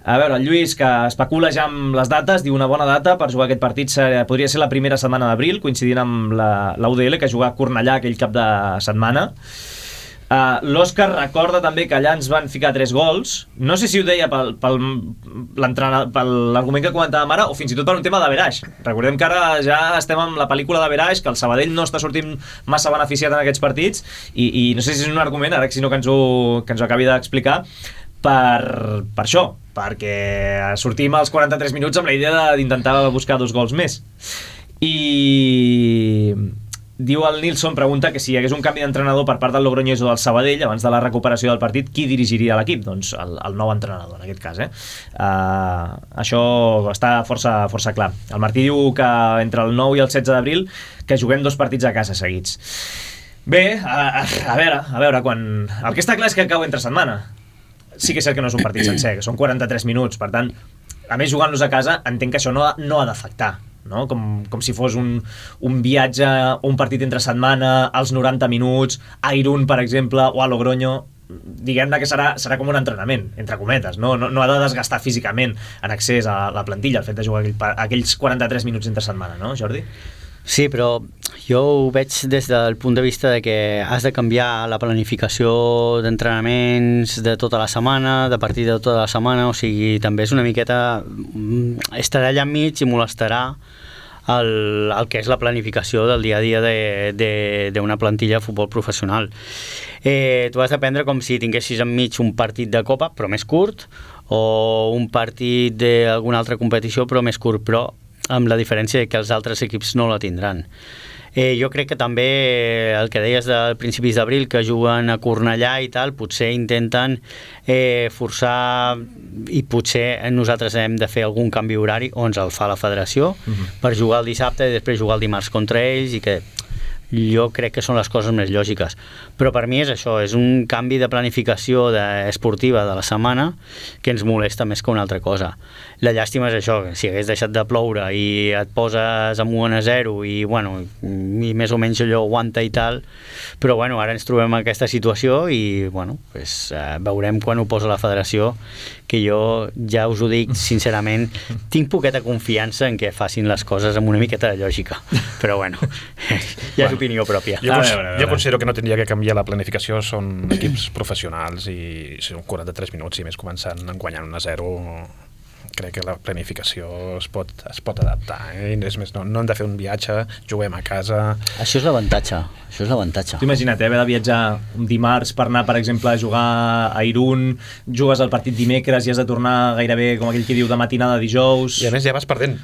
A veure, el Lluís, que especula ja amb les dates, diu una bona data per jugar aquest partit ser, podria ser la primera setmana d'abril, coincidint amb la, la U D L, que juga a Cornellà aquell cap de setmana. Uh, L'Òscar recorda també que allà ens van ficar tres gols. No sé si ho deia pel, pel, per l'argument que comentàvem ara o fins i tot per un tema d'averaix. Recordem que ara ja estem amb la pel·lícula d'averaix, que el Sabadell no està sortint massa beneficiat en aquests partits i, i no sé si és un argument, ara que si no que ens ho, que ens ho acabi d'explicar, per, per això, perquè sortim als quaranta-tres minuts amb la idea d'intentar buscar dos gols més. I diu el Nilsson, pregunta que si hi hagués un canvi d'entrenador per part del Logroñés o del Sabadell abans de la recuperació del partit, qui dirigiria l'equip? Doncs el, el nou entrenador, en aquest cas. Eh? Uh, això està força, força clar. El Martí diu que entre el nou i el setze d'abril que juguem dos partits a casa seguits. Bé, a, a veure, a veure quan... El que està clar és que cau entre setmana. Sí que és cert que no és un partit sencer, que són quaranta-tres minuts, per tant, a més jugant-los a casa, entenc que això no, no ha d'afectar, no? Com, com si fos un, un viatge, un partit entre setmana, als noranta minuts, a Irún, per exemple, o a Logroño, diguem-ne que serà, serà com un entrenament, entre cometes, no, no, no ha de desgastar físicament en accés a la plantilla, el fet de jugar aquell, aquells quaranta-tres minuts entre setmana, no, Jordi? Sí, però jo ho veig des del punt de vista de que has de canviar la planificació d'entrenaments de tota la setmana, de partit de tota la setmana, o sigui, també és una miqueta... estarà allà enmig i molestarà el, el que és la planificació del dia a dia d'una plantilla de futbol professional. Eh, tu has de prendre com si tinguessis enmig un partit de Copa, però més curt, o un partit d'alguna altra competició però més curt, però amb la diferència que els altres equips no la tindran. Eh, jo crec que també el que deies del principis d'abril, que juguen a Cornellà i tal, potser intenten eh, forçar, i potser nosaltres hem de fer algun canvi horari, o ens el fa la federació, uh-huh. per jugar el dissabte i després jugar el dimarts contra ells, i que jo crec que són les coses més lògiques. Però per mi és això, és un canvi de planificació de, esportiva de la setmana que ens molesta més que una altra cosa. La llàstima és això, si hagués deixat de ploure i et poses amb un a zero i, bueno, i més o menys allò aguanta i tal, però bueno, ara ens trobem en aquesta situació i bueno, pues, eh, veurem quan ho posa la federació, que jo ja us ho dic sincerament, tinc poqueta confiança en que facin les coses amb una miqueta de lògica, però bueno, ja és opinió pròpia. Jo, a veure, a veure. jo considero que no tindria que canviar la planificació, són equips professionals i són quaranta-tres minuts i més començant guanyant un a zero. Crec que la planificació es pot, es pot adaptar, eh? És més, no, no hem de fer un viatge, juguem a casa. Això és l'avantatge, això és l'avantatge. T'ho imagina't, eh, haver de viatjar un dimarts per anar, per exemple, a jugar a Irún, jugues el partit dimecres i has de tornar gairebé, com aquell que diu, de matinada dijous. I a més ja vas perdent.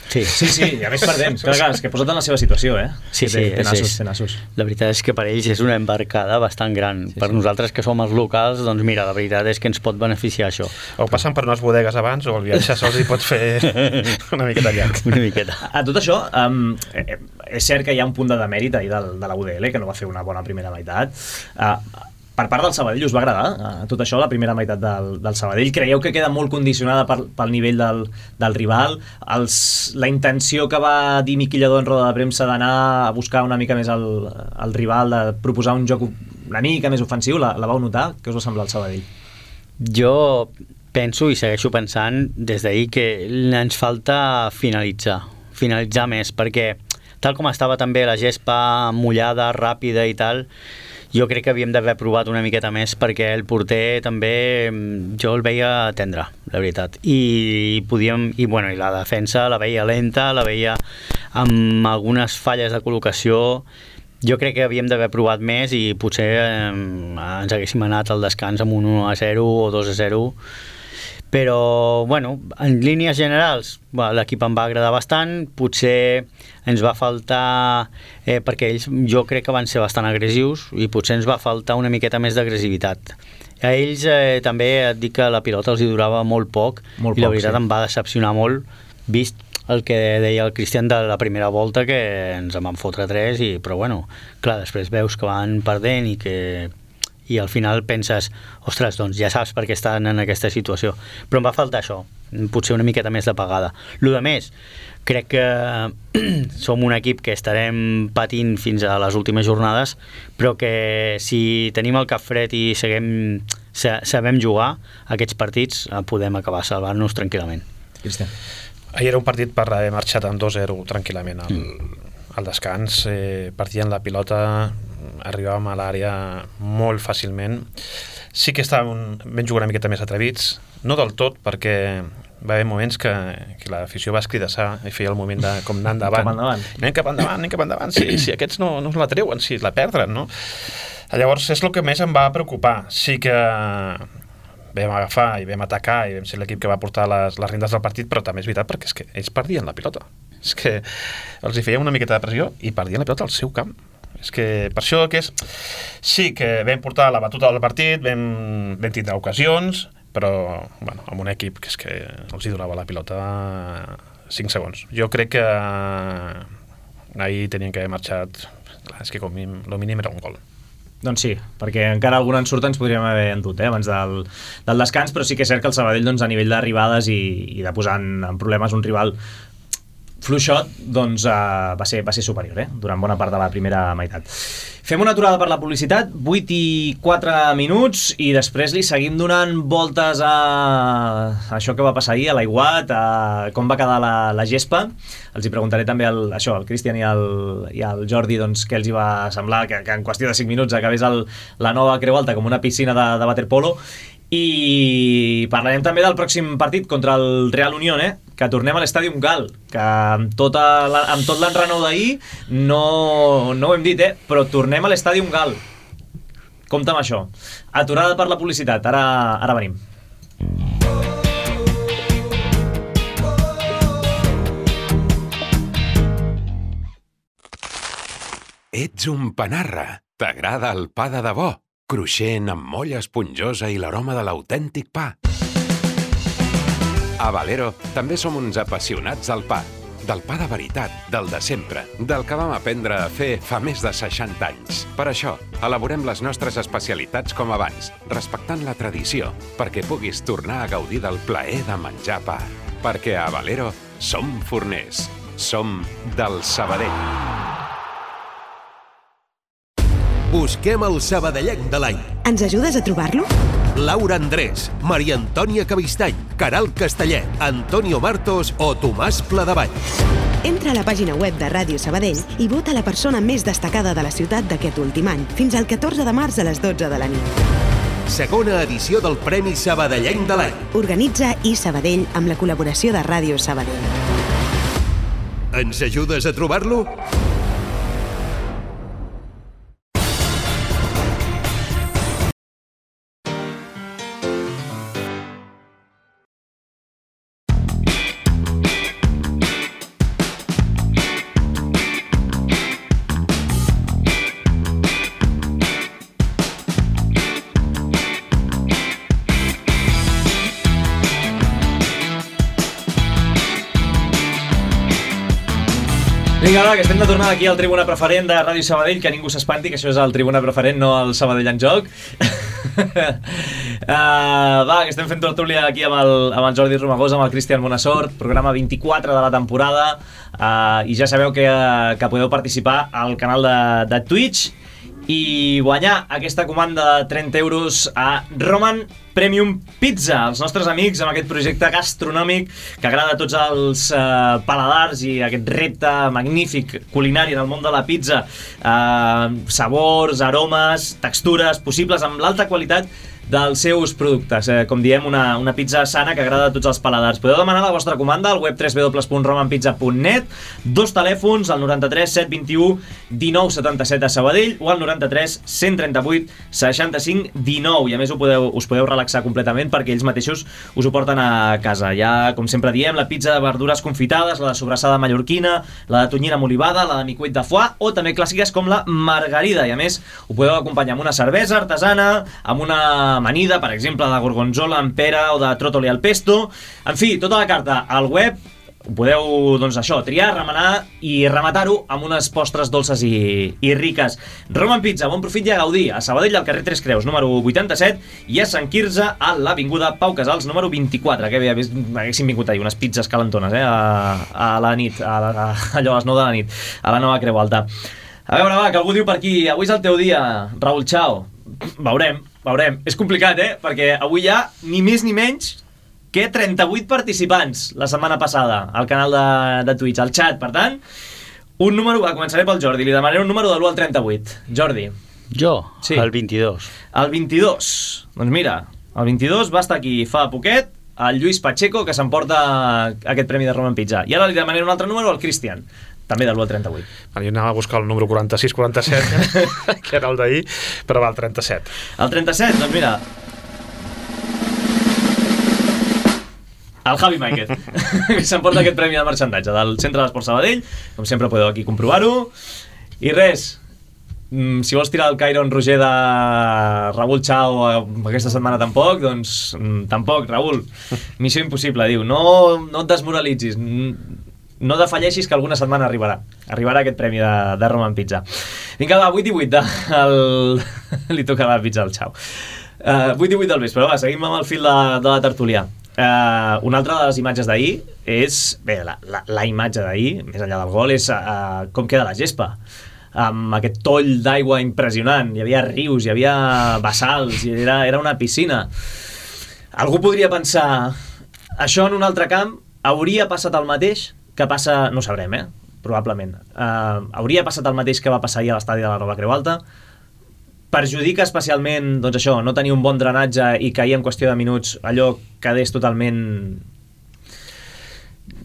Sí, sí, sí, i a més perdent. Clar, clar, és que posa't en la seva situació, eh? Sí, sí, té nassos, sí. té nassos. La veritat és que per ells és una embarcada bastant gran. Sí, per sí. Nosaltres que som els locals, doncs mira, la veritat és que ens pot beneficiar això. O passen per unes bodegues abans o el viatge sols hi pot fer una miqueta llarg. Una miqueta. A tot això, um, és cert que hi ha un punt de demèrit ahir del, de la U D L, que no va fer una bona primera meitat. Uh, Per part del Sabadell us va agradar eh, tot això, la primera meitat del, del Sabadell? Creieu que queda molt condicionada per, pel nivell del, del rival? Els, la intenció que va dir Miqui Lladó en roda de premsa d'anar a buscar una mica més el, el rival, de proposar un joc una mica més ofensiu, la, la vau notar? Què us va semblar el Sabadell? Jo penso i segueixo pensant des d'ahir que ens falta finalitzar, finalitzar més, perquè tal com estava també la gespa mullada, ràpida i tal, jo crec que havíem d'haver provat una miqueta més, perquè el porter també jo el veia tendre, la veritat, i podíem, i bueno, i la defensa la veia lenta, la veia amb algunes falles de col·locació. Jo crec que havíem d'haver provat més i potser eh, ens haguéssim anat al descans amb un u a zero o dos a zero, però bueno, en línies generals l'equip em va agradar bastant, potser ens va faltar, eh, perquè ells jo crec que van ser bastant agressius i potser ens va faltar una miqueta més d'agressivitat. A ells eh, també et dic que la pilota els hi durava molt poc, molt i la poc, veritat sí. Em va decepcionar molt, vist el que deia el Cristian de la primera volta, que ens en van fotre tres, i, però bueno, clar, després veus que van perdent i que i al final penses, ostres, doncs ja saps per què estan en aquesta situació, però em va faltar això, potser una miqueta més de pagada. Lo de més, crec que som un equip que estarem patint fins a les últimes jornades, però que si tenim el cap fred i seguim, sabem jugar aquests partits, podem acabar salvant-nos tranquil·lament. Cristian. Ahir era un partit per haver marxat amb dos a zero tranquil·lament al, mm. al descans, eh, partien la pilota, arribàvem a l'àrea molt fàcilment. Sí que estàvem ben jugant una miqueta més atrevits, no del tot, perquè va haver moments que, que l'afició va escridassar i feia el moment de com anar endavant. Cap endavant. Anem cap endavant, anem cap endavant. Si, si aquests no, no la treuen, si la perdren, no? Llavors és el que més em va preocupar. Sí que vam agafar i vam atacar i vam ser l'equip que va portar les, les rendes del partit, però també és veritat perquè és que ells perdien la pilota. És que els hi feien una miqueta de pressió i perdien la pilota al seu camp. És que per això que és... Sí que vam portar la batuta del partit, vam, vam tindre ocasions, però bueno, amb un equip que és que els hi donava la pilota cinc segons. Jo crec que ahir tenien que haver marxat, és que com mínim, el mínim era un gol. Doncs sí, perquè encara algun ensurt ens podríem haver endut eh, abans del, del descans, però sí que és cert que el Sabadell doncs, a nivell d'arribades i, i de posar en, en problemes un rival fluixot, doncs uh, va, ser, va ser superior eh, durant bona part de la primera meitat. Fem una aturada per la publicitat, vuit i quatre minuts, i després li seguim donant voltes a això que va passar ahir, a l'Aiguat, a com va quedar la, la gespa. Els hi preguntaré també al, això, al Cristian i al, i al Jordi doncs, què els hi va semblar que, que en qüestió de cinc minuts acabés el, la nova Creu Alta com una piscina de, de waterpolo. I parlarem també del pròxim partit contra el Real Unión, eh? Que tornem a l'Estadium Gal, que amb, tota la, amb tot l'enrenou d'ahir no, no ho hem dit, eh? Però tornem a l'Estadium Gal. Compte amb això. Aturada per la publicitat, ara, ara venim. ets un panarra. T'agrada el pa de debò, cruixent amb molla esponjosa i l'aroma de l'autèntic pa. A Valero també som uns apassionats del pa, del pa de veritat, del de sempre, del que vam aprendre a fer fa més de seixanta anys. Per això, elaborem les nostres especialitats com abans, respectant la tradició, perquè puguis tornar a gaudir del plaer de menjar pa. Perquè a Valero som forners, som del Sabadell. Busquem el sabadellenc de l'any. Ens ajudes a trobar-lo? Laura Andrés, Maria Antònia Cabistany, Caral Castellet, Antonio Martos o Tomàs Pladevall. Entra a la pàgina web de Ràdio Sabadell i vota la persona més destacada de la ciutat d'aquest últim any, fins al catorze de març a les dotze de la nit. Segona edició del Premi Sabadellenc de l'any. Organitza i Sabadell amb la col·laboració de Ràdio Sabadell. Ens ajudes a trobar-lo? Vinga, va, que estem de tornada aquí al Tribuna Preferent de Ràdio Sabadell, que ningú s'espanti, que això és el Tribuna Preferent, no el Sabadell en joc. uh, va, que estem fent tertúlia aquí amb el, amb el Jordi Romagós, amb el Cristian Bonassort, programa vint-i-quatre de la temporada, uh, i ja sabeu que, uh, que podeu participar al canal de, de Twitch i guanyar aquesta comanda de trenta euros a Roman Premium Pizza, els nostres amics amb aquest projecte gastronòmic que agrada a tots els uh, paladars i aquest repte magnífic culinari en el món de la pizza, uh, sabors, aromes, textures possibles amb l'alta qualitat dels seus productes, eh, com diem, una, una pizza sana que agrada a tots els paladars. Podeu demanar la vostra comanda al web w w w punt roman pizza punt net, dos telèfons, el noranta-tres set vint-i-u dinou setanta-set a Sabadell o el noranta-tres cent trenta-vuit seixanta-cinc dinou, i a més ho podeu, us podeu relaxar completament perquè ells mateixos us ho porten a casa. Ja, com sempre diem, la pizza de verdures confitades, la de sobrassada mallorquina, la de tonyina amb olivada, la de micuit de foie o també clàssiques com la margarida, i a més ho podeu acompanyar amb una cervesa artesana, amb una amanida, per exemple, de gorgonzola amb pera o de tròtoli al pesto. En fi, tota la carta al web. Podeu, doncs això, triar, remenar i rematar-ho amb unes postres dolces i, i riques. Roman Pizza, bon profit i a gaudir. A Sabadell, al carrer Tres Creus, número vuitanta-set, i a Sant Quirze, a l'avinguda Pau Casals, número vint-i-quatre. Que bé, haguéssim vingut ahir unes pizzas calentones, eh? A, a la nit, a, a, allò a les nou de la nit, a la nova Creu Alta. A veure, va, que algú diu per aquí, avui és el teu dia, Raül Chao. Veurem, veurem. És complicat, eh? Perquè avui hi ha ni més ni menys que trenta-vuit participants la setmana passada al canal de, de Twitch, al chat. Per tant, un número... Va, començaré pel Jordi. Li demanaré un número de l'u al trenta-vuit. Jordi. Jo? Sí. El vint-i-dos. El vint-i-dos. Doncs mira, el vint-i-dos va estar aquí fa poquet el Lluís Pacheco, que s'emporta aquest premi de Roman Pizza. I ara li demanaré un altre número al Cristian, també de l'u al trenta-vuit. Jo anava a buscar el número quaranta-sis quaranta-set, que era el d'ahir, però va, el trenta-set. El trenta-set, doncs mira... El Javi Máquez, que s'emporta aquest premi de marxandatge del Centre d'Esport Sabadell. Com sempre podeu aquí comprovar-ho. I res, si vols tirar el Cairo en Roger de Raül Chao aquesta setmana tampoc, doncs tampoc, Raül. Missió impossible, diu. No, no et desmoralitzis, no defalleixis que alguna setmana arribarà. Arribarà aquest premi de, de Roman Pizza. Vinga, va, vuit i vuit de, el... li toca la pizza al Chao. Uh, vuit i vuit del vespre, va, seguim amb el fil de, de la tertúlia. Uh, una altra de les imatges d'ahir és, bé, la, la, la imatge d'ahir, més enllà del gol, és uh, com queda la gespa, amb aquest toll d'aigua impressionant. Hi havia rius, hi havia bassals, i era, era una piscina. Algú podria pensar, això en un altre camp hauria passat el mateix que passa, no ho sabrem, eh? Probablement. Uh, hauria passat el mateix que va passar ahir a l'estadi de la Nova Creu Alta. Perjudica especialment, doncs això, no tenir un bon drenatge i que ahir en qüestió de minuts allò quedés totalment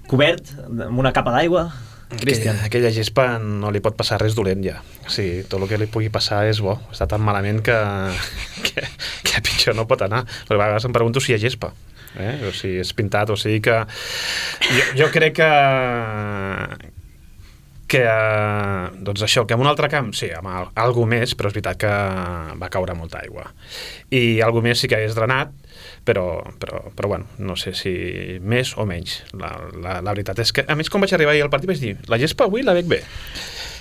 cobert amb una capa d'aigua. Cristian. Aquella, aquella gespa no li pot passar res dolent ja. O sigui, tot el que li pugui passar és bo. Està tan malament que, que, que pitjor no pot anar. Però a vegades em pregunto si hi ha gespa. Eh? O si és pintat, o sigui que... Jo, jo crec que... que, eh, doncs això, que en un altre camp, sí, amb al, algú més, però és veritat que va caure molta aigua. I algú més sí que hagués drenat, però, però, però bueno, no sé si més o menys. La, la, la veritat és que, a més, quan vaig arribar ahir al partit vaig dir, la gespa avui la veig bé.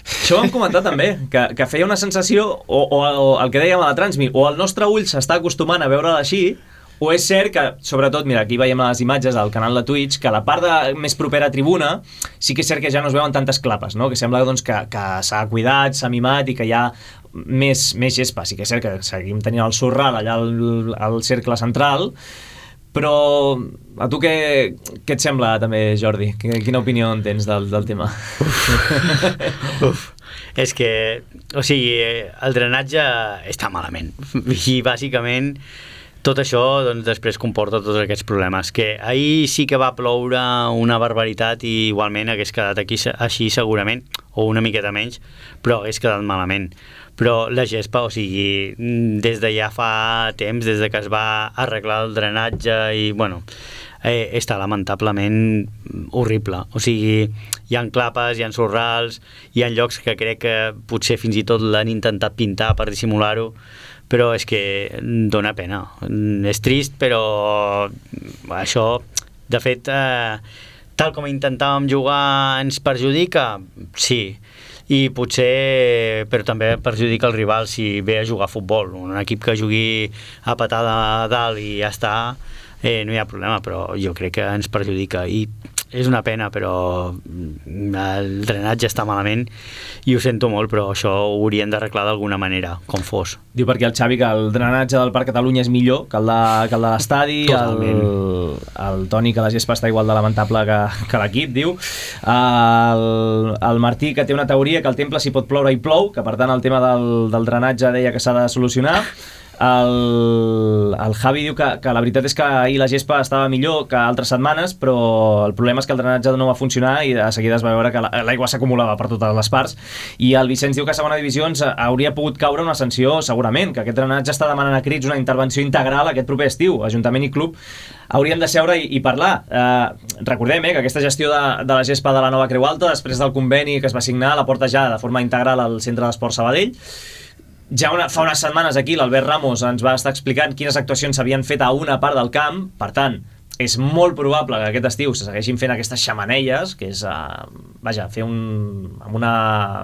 Això ho hem comentat també, que, que feia una sensació, o, o, o el que dèiem a la Transmi, o el nostre ull s'està acostumant a veure-la així, o és cert que, sobretot, mira, aquí veiem les imatges al canal de Twitch, que la part de, més propera a tribuna sí que és cert que ja no es veuen tantes clapes, no? Que sembla doncs, que, que s'ha cuidat, s'ha mimat i que hi ha més, més gespa. Sí que és cert que seguim tenint el sorral allà al, al cercle central, però a tu què, què et sembla també, Jordi? Quina opinió en tens del, del tema? Uf. Uf. És que, o sigui, el drenatge està malament. I bàsicament tot això doncs, després comporta tots aquests problemes. Que ahir sí que va ploure una barbaritat i igualment hagués quedat aquí així segurament, o una miqueta menys, però hagués quedat malament. Però la gespa, o sigui, des de ja fa temps, des de que es va arreglar el drenatge i, bueno, eh, està lamentablement horrible. O sigui, hi ha clapes, hi ha sorrals, hi ha llocs que crec que potser fins i tot l'han intentat pintar per dissimular-ho, però és que dona pena. És trist, però això, de fet, eh, tal com intentàvem jugar ens perjudica? Sí. I potser, però també perjudica el rival si ve a jugar a futbol. Un equip que jugui a patada a dalt i ja està, eh, no hi ha problema, però jo crec que ens perjudica. I és una pena, però el drenatge està malament i ho sento molt, però això ho haurien d'arreglar d'alguna manera, com fos. Diu per aquí el Xavi que el drenatge del Parc Catalunya és millor que el de, que el de l'estadi, el, el Toni que la gespa està igual de lamentable que, que l'equip, diu. El, el Martí que té una teoria que el temple si pot ploure i plou, que per tant el tema del, del drenatge deia que s'ha de solucionar. El, el Javi diu que, que la veritat és que ahir la gespa estava millor que altres setmanes, però el problema és que el drenatge no va funcionar i de seguida es va veure que l'aigua s'acumulava per totes les parts. I el Vicenç diu que a segona divisió ens hauria pogut caure una sanció segurament, que aquest drenatge està demanant a crits una intervenció integral aquest proper estiu. Ajuntament i club haurien de seure i, i parlar. Eh, recordem eh, que aquesta gestió de, de la gespa de la nova Creu Alta, després del conveni que es va signar, la porta ja de forma integral al Centre d'Esport Sabadell. Ja una, fa unes setmanes aquí l'Albert Ramos ens va estar explicant quines actuacions s'havien fet a una part del camp, per tant, és molt probable que aquest estiu se segueixin fent aquestes xamanelles, que és, uh, vaja, fer un... amb una...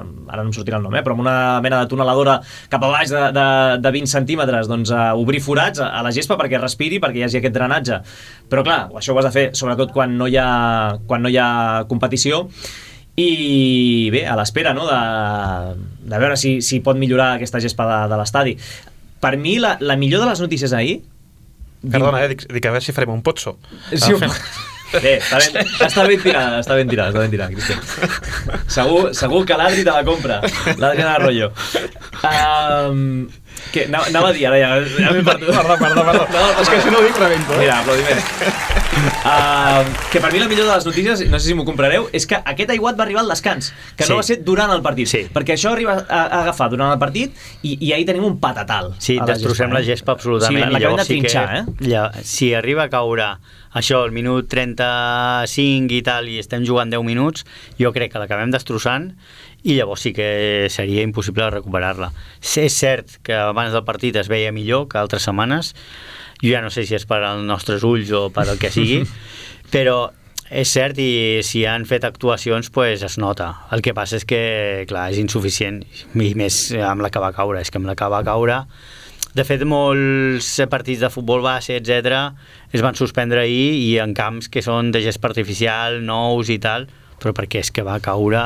ara no em sortirà el nom, eh, però amb una mena de tuneladora cap a baix de, de, de vint centímetres, doncs uh, obrir forats a, a la gespa perquè respiri, perquè hi hagi aquest drenatge. Però clar, això ho has de fer sobretot quan no hi ha, quan no hi ha competició. I bé, a l'espera, no?, de, de veure si, si pot millorar aquesta gespa de, de l'estadi. Per mi, la, la millor de les notícies ahir... Perdona, eh, dic, dic a veure si farem un potso. Sí, un... Bé, està ben, està ben tirada, està ben tirada, està ben tirada, Cristian. Segur, segur que l'Adri te la compra, l'Adriana Arroyo. Um, que, anava, anava a dir, ara ja, ja m'he perdut. Perdó, perdó, perdó. No, és que si no ho dic rebento. Mira, aplaudiment. Uh, que per mi la millor de les notícies, no sé si m'ho comprareu, és que aquest aiguat va arribar al descans, que sí. No va ser durant el partit, sí. Perquè això arriba a, a agafar durant el partit i, i ahir tenim un patatal. Sí, destrossem la gespa absolutament. Sí, l'acabem de trinxar, sí eh? Ja, si arriba a caure això, el minut trenta-cinc i tal, i estem jugant deu minuts, jo crec que l'acabem destrossant i llavors sí que seria impossible recuperar-la. És cert que abans del partit es veia millor que altres setmanes, jo ja no sé si és per als nostres ulls o per el que sigui, però és cert i si han fet actuacions pues es nota. El que passa és que, clar, és insuficient, i més amb la que va caure, és que amb la que va caure... De fet, molts partits de futbol base, etcètera, es van suspendre ahir i en camps que són de gespa artificial, nous i tal, però perquè és que va caure,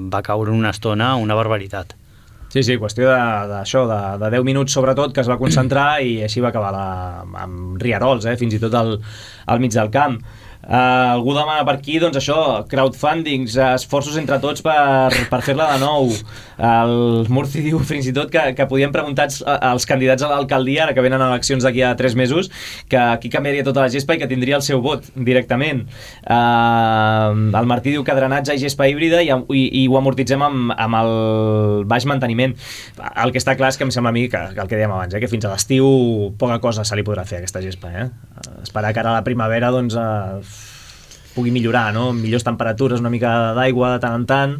va caure una estona una barbaritat. Sí, sí, qüestió d'això, de, de, de deu minuts sobretot, que es va concentrar i així va acabar la, amb rierols, eh, fins i tot al, al mig del camp. Uh, algú demana per aquí, doncs això, crowdfundings, esforços entre tots per, per fer-la de nou. El Murci diu fins i tot que, que podien preguntar als, als candidats a l'alcaldia, ara que venen eleccions d'aquí a tres mesos, que aquí canviaria tota la gespa i que tindria el seu vot directament. Uh, el Martí diu que drenatge i gespa híbrida i, i, i ho amortitzem amb, amb el baix manteniment. El que està clar és que em sembla a mi que, que el que dèiem abans, eh, que fins a l'estiu poca cosa se li podrà fer a aquesta gespa. Eh? Esperar que ara a la primavera doncs, uh, pugui millorar, no? Millors temperatures, una mica d'aigua de tant en tant.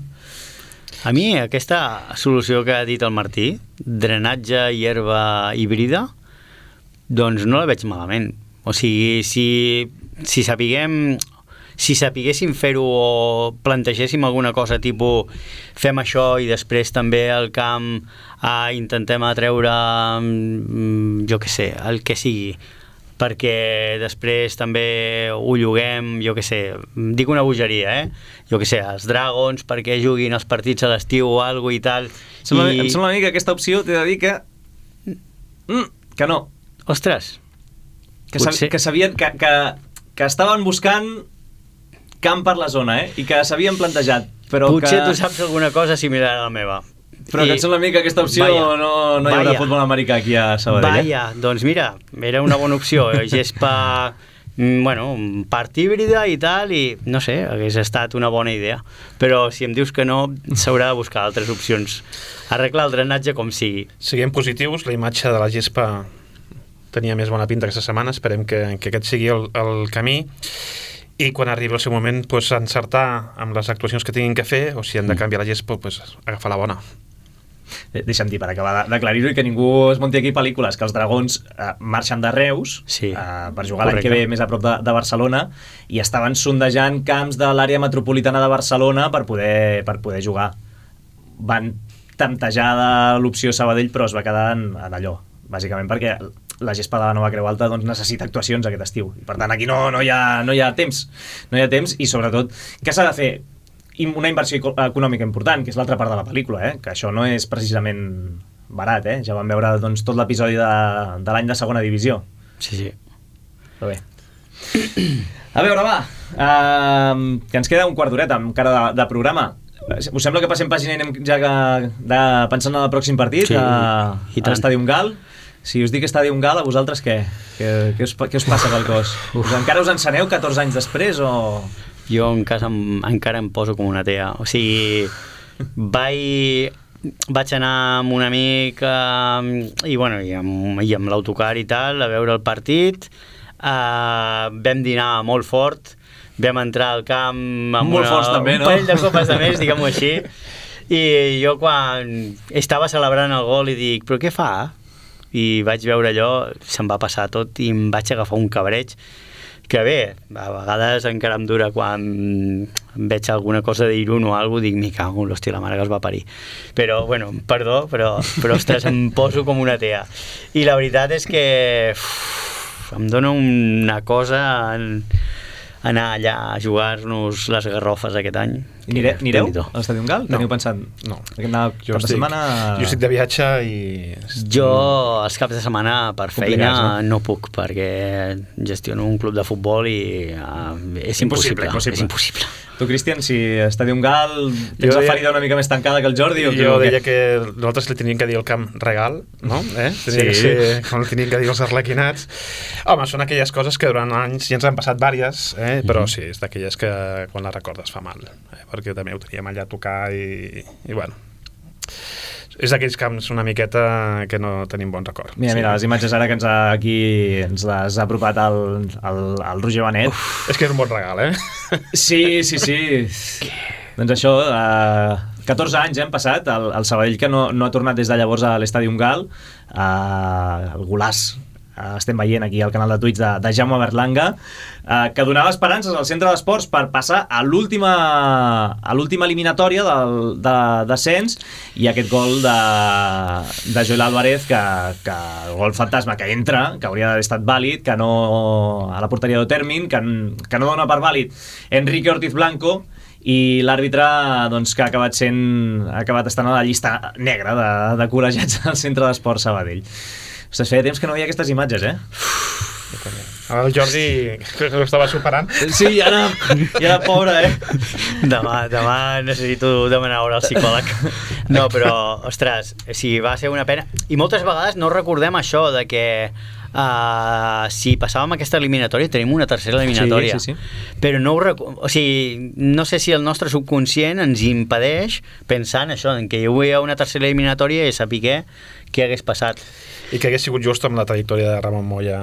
A mi aquesta solució que ha dit el Martí, drenatge i herba híbrida, doncs no la veig malament. O sigui, si, si sapiguem... Si sapiguéssim fer-ho o plantegéssim alguna cosa tipus fem això i després també al camp eh, intentem atreure jo què sé, el que sigui, perquè després també ho lloguem, jo què sé, dic una bogeria, eh? Jo què sé, els Dragons perquè juguin els partits a l'estiu o alguna i tal. Em sembla, I... em sembla a mi que aquesta opció t'he de dir que... Mm, que no. Ostres! Que, sab... que sabien que, que, que estaven buscant camp per la zona, eh? I que s'havien plantejat, però Potser que... tu saps alguna cosa similar a la meva. Però I... que et sembla a mi que aquesta opció vaya, no, no hi haurà vaya. futbol americà aquí a Sabadell. Vaya, eh? Doncs mira, era una bona opció. Gespa, bueno, part híbrida i tal, i no sé, hagués estat una bona idea. Però si em dius que no, s'haurà de buscar altres opcions. Arreglar el drenatge com sigui. Siguem positius, la imatge de la gespa tenia més bona pinta aquesta setmana, esperem que, que aquest sigui el, el camí. I quan arribi el seu moment, pues, encertar amb les actuacions que tinguin que fer, o si han de canviar la gespa, pues, agafar la bona. Deixa'm dir, per acabar d'aclarir-ho i que ningú es munti aquí pel·lícules, que els Dragons eh, marxen de Reus sí, eh, per jugar l'any que ve més a prop de, de Barcelona i estaven sondejant camps de l'àrea metropolitana de Barcelona per poder, per poder jugar. Van temptejar de l'opció Sabadell, però es va quedar en, en allò, bàsicament perquè la gespa de la Nova Creu Alta doncs, necessita actuacions aquest estiu. I per tant, aquí no, no, hi ha, no hi ha temps. No hi ha temps i, sobretot, què s'ha de fer? Una inversió econòmica important, que és l'altra part de la pel·lícula, eh? Que això no és precisament barat, eh? Ja vam veure doncs, tot l'episodi de, de l'any de segona divisió. Sí, sí. Però bé. A veure, va, uh, que ens queda un quart d'horeta encara de, de programa. Us sembla que passem pàgina i anem ja que, de, pensant en el pròxim partit, sí, a, a l'Estadium Gal? Si us dic Estadium Gal, a vosaltres què? Què, què, us, què us passa pel cos? Us, encara us enceneu catorze anys després o...? Jo en casa em, encara em poso com una tea. O sigui, vaig, vaig anar amb un amic eh, i, bueno, i amb, i amb l'autocar i tal a veure el partit. Eh, vam dinar molt fort, vam entrar al camp amb molt una, forts, també, un no? parell de copes de més, diguem-ho així. I jo quan estava celebrant el gol i dic, però què fa? I vaig veure allò, se'm va passar tot i em vaig agafar un cabreig que bé, a vegades encara em dura quan veig alguna cosa d'Irun o alguna cosa, dic, mi cago, l'hòstia, la mare que es va parir. Però, bueno, perdó, però, però ostres, em poso com una tea. I la veritat és que uf, em dona una cosa en, anar allà a jugar-nos les garrofes aquest any. I nire, nireu a l'Estadium Gal? No. Teniu pensat? No. Aquest jo, estic, setmana... jo estic de viatge i... Jo els caps de setmana per feina no? no puc perquè gestiono un club de futbol i uh, és impossible, impossible. És impossible. Tu, Cristian, si Estadium Gal tens la ferida una mica més tancada que el Jordi? O jo deia que nosaltres li teníem que dir el camp regal, no? Eh? Tenia sí. que ser, com li teníem que dir els arlequinats. Home, són aquelles coses que durant anys ja ens han passat vàries, eh? Però sí, és d'aquelles que quan les recordes fa mal, eh? Perquè també ho teníem allà a tocar i, i bueno, és d'aquells camps una miqueta que no tenim bon record. Mira, mira, sí. Les imatges ara que ens ha, aquí ens les ha apropat el, el, el Roger Benet. Uf. És que és un bon regal, eh? Sí, sí, sí. Doncs això, eh, catorze anys eh, han passat, el, el Sabadell que no, no ha tornat des de llavors a l'Estadium Gal, eh, el golaç estem veient aquí al canal de Twitch de, de Jaume Berlanga, eh, que donava esperances al centre d'esports per passar a l'última a l'última eliminatòria del, de descens, i aquest gol de, de Joel Álvarez que, que gol fantasma que entra, que hauria d'haver estat vàlid, que no a la porteria d'Otermin, que, que no dona per vàlid Enrique Ortiz Blanco, i l'àrbitre doncs, que ha acabat sent ha acabat estant a la llista negra de, de col·legiats al centre d'esports Sabadell. Ostres, feia temps que no veia aquestes imatges, eh? Ara el Jordi crec que ho estava superant. Sí, i ara, i ara pobre, eh? Demà, demà necessito demanar hora al psicòleg. No, però, ostres, sí, va ser una pena. I moltes vegades no recordem això de que uh, si passàvem aquesta eliminatòria tenim una tercera eliminatòria. Sí, sí, sí. Però no ho rec... o sigui, no sé si el nostre subconscient ens impedeix pensar en això, en que hi havia una tercera eliminatòria i saber què, què hagués passat. I que hagués sigut just amb la trajectòria de Ramon Moya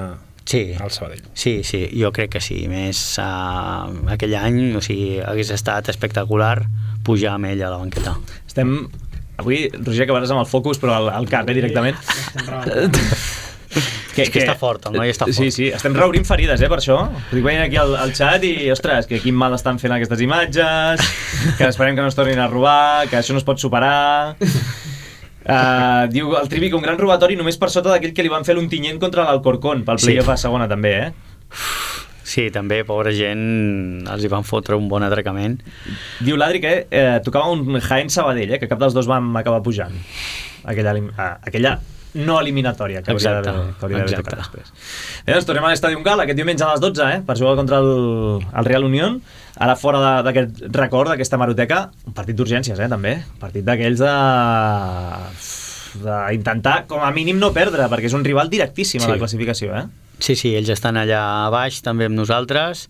sí, al Sabadell. Sí, sí, jo crec que sí. Més uh, aquell any, o sigui, hagués estat espectacular pujar amb ell a la banqueta. Estem... Avui, Roger, acabaràs amb el focus, però al, al cap, eh, directament. Que, és que, que està fort, el noi està fort. Sí, sí, estem reobrint ferides, eh, per això. Dic, veient aquí al, al xat i, ostres, que quin mal estan fent aquestes imatges, que esperem que no es tornin a robar, que això no es pot superar... Uh, diu el Trivi que un gran robatori només per sota d'aquell que li van fer l'Ontinyent contra l'Alcorcón pel play-off a segona també, eh? Sí, també, pobra gent, els hi van fotre un bon atracament. Diu l'Adri que eh, tocava un Jaén Sabadell, eh, que cap dels dos vam acabar pujant aquella, uh, aquella no eliminatòria que hauria d'haver tocat després. Bé, doncs tornem a l'Estadi Gal aquest diumenge a les dotze, eh, per jugar contra el, el Real Unión. Ara fora d'aquest record, d'aquesta maroteca, un partit d'urgències, eh, també. Un partit d'aquells de... d'intentar, com a mínim, no perdre, perquè és un rival directíssim sí. a la classificació, eh? Sí, sí, ells estan allà a baix, també amb nosaltres.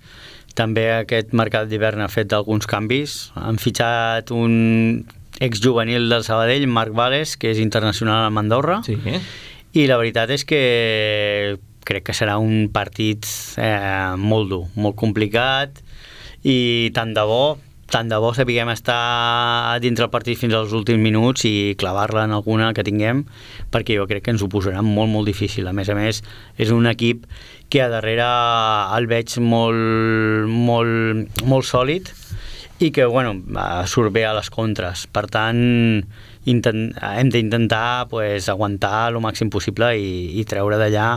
També aquest mercat d'hivern ha fet alguns canvis. Han fitxat un exjuvenil del Sabadell, Marc Vales, que és internacional a Andorra. Sí. I la veritat és que crec que serà un partit eh, molt dur, molt complicat, i tant de bo, tant de bo sapiguem estar dintre el partit fins als últims minuts i clavar-la en alguna que tinguem, perquè jo crec que ens ho posarà molt, molt difícil. A més a més, és un equip que a darrere el veig molt, molt, molt sòlid i que, bueno, surt bé a les contres. Per tant, intent, hem d'intentar pues, aguantar el màxim possible i, i treure d'allà,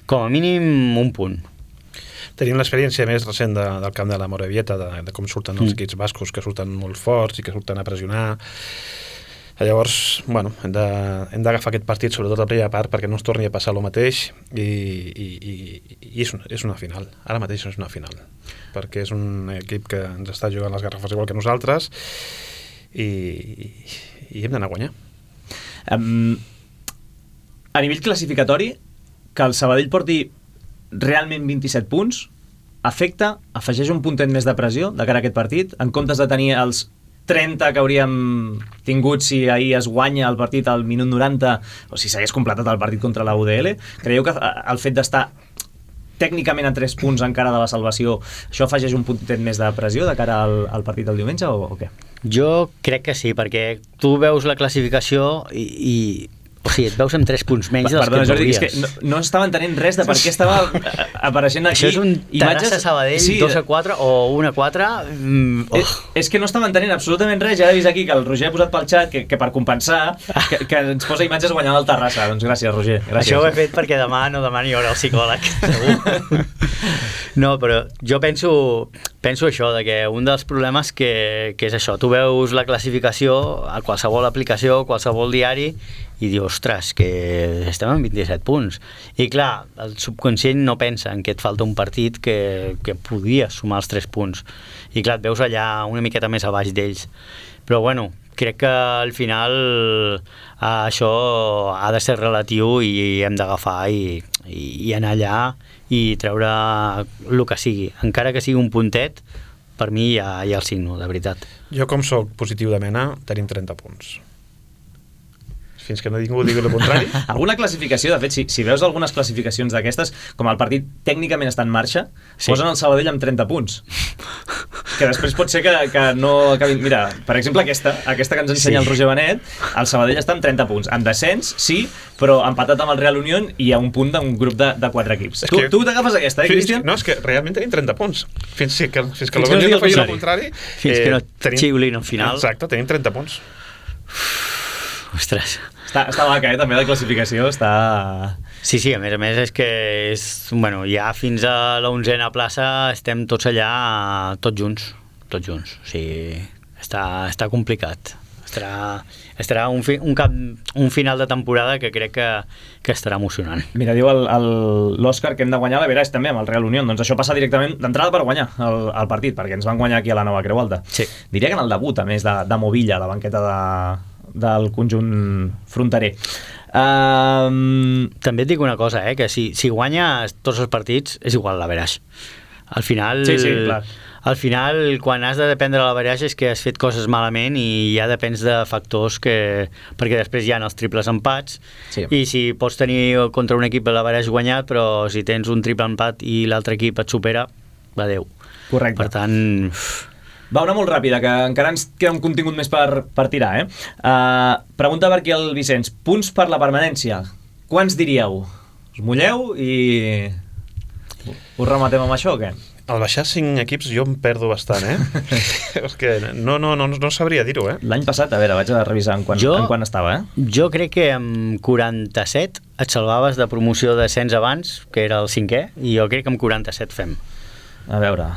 com a mínim, un punt. Tenim l'experiència més recent de, del camp de la Morevieta, de, de com surten els equips bascos, que surten molt forts i que surten a pressionar. Llavors, bueno, hem de, hem d'agafar aquest partit, sobretot la primera part, perquè no ens torni a passar el mateix, i, i, i, i és, un, és una final. Ara mateix és una final, perquè és un equip que ens està jugant les garrafes igual que nosaltres, i, i, i hem d'anar a guanyar. Um, a nivell classificatori, que el Sabadell porti realment vint-i-set punts, afecta, afegeix un puntet més de pressió de cara a aquest partit, en comptes de tenir els trenta que hauríem tingut si ahir es guanya el partit al minut noranta o si s'hagués completat el partit contra la U D L. Creieu que el fet d'estar tècnicament a tres punts encara de la salvació, això afegeix un puntet més de pressió de cara al, al partit del diumenge o, o què? Jo crec que sí, perquè tu veus la classificació i, i o sigui, et veus amb tres punts menys dels Perdona, que et Jordi, veuries. és que no, no estava entenent res de per què estava apareixent aquí. Això és un Terrassa Sabadell, sí, dos a quatre o un a quatre. Mm, oh. és, és que no estava entenent absolutament res. Ja he vist aquí que el Roger ha posat pel xat que, que per compensar que, que ens posa imatges guanyant el Terrassa. Doncs gràcies, Roger. Gràcies. Això ho he fet perquè demà no demani hora al psicòleg, segur. No, però jo penso, penso això, de que un dels problemes que, que és això, tu veus la classificació a qualsevol aplicació, qualsevol diari, i dius, ostres, que estem en vint-i-set punts. I clar, el subconscient no pensa en que et falta un partit que, que podies sumar els tres punts. I clar, et veus allà una miqueta més a baix d'ells. Però bueno, crec que al final eh, això ha de ser relatiu i hem d'agafar i, i, i anar allà i treure el que sigui. Encara que sigui un puntet, per mi ja, ja el signo, de veritat. Jo, com soc positiu de mena, tenim trenta punts. Fins que no ningú digui el contrari. Alguna classificació, de fet, si, si veus algunes classificacions d'aquestes, com el partit tècnicament està en marxa, sí. Posen el Sabadell amb trenta punts. Que després pot ser que, que no acabin... Mira, per exemple, aquesta, aquesta que ens ensenya sí. el Roger Benet, el Sabadell està amb trenta punts. En descens, sí, però empatat amb el Real Unión i a un punt d'un grup de, de quatre equips. Tu, que... tu t'agafes aquesta, eh, Cristian? No, és que realment tenim trenta punts. Fins que, fins que l'Ogonyo no faci el contrari... Fins eh, que no tenim... xiulin al final. Exacte, tenim trenta punts. Ostres... Està, està vaca, eh? També la classificació està... Sí, sí, a més a més és que és, bueno, ja fins a l'onzena plaça estem tots allà, tots junts, tots junts. O sigui, està, està complicat. Estarà, estarà un, fi, un, cap, un final de temporada que crec que, que estarà emocionant. Mira, diu l'Òscar que hem de guanyar la Veraix també amb el Real Unión. Doncs això passa directament d'entrada per guanyar el, el partit, perquè ens van guanyar aquí a la Nova Creu Alta. Sí. Diria que en el debut, a més de, de Movilla, a la banqueta de... del conjunt fronterer. Um... També et dic una cosa, eh, que si, si guanya tots els partits és igual la Veraix. Al final sí, sí, clar. Al final, quan has de dependre de l'averaix és que has fet coses malament i ja depens de factors que... perquè després hi ha els triples empats sí. I si pots tenir contra un equip l'averaix guanyat, però si tens un triple empat i l'altre equip et supera, adeu. Correcte. Per tant... Va, una molt ràpida, que encara ens queda un contingut més per, per tirar, eh? Uh, pregunta per aquí el Vicenç. Punts per la permanència. Quants diríeu? Us mulleu i... us rematem amb això o què? Al baixar cinc equips jo em perdo bastant, eh? És que no, no, no, no sabria dir-ho, eh? L'any passat, a veure, vaig a revisar en quan, jo, en quan estava, eh? Jo crec que amb quaranta-set et salvaves de promoció de descens abans, que era el cinquè, i jo crec que amb quaranta-set fem. A veure,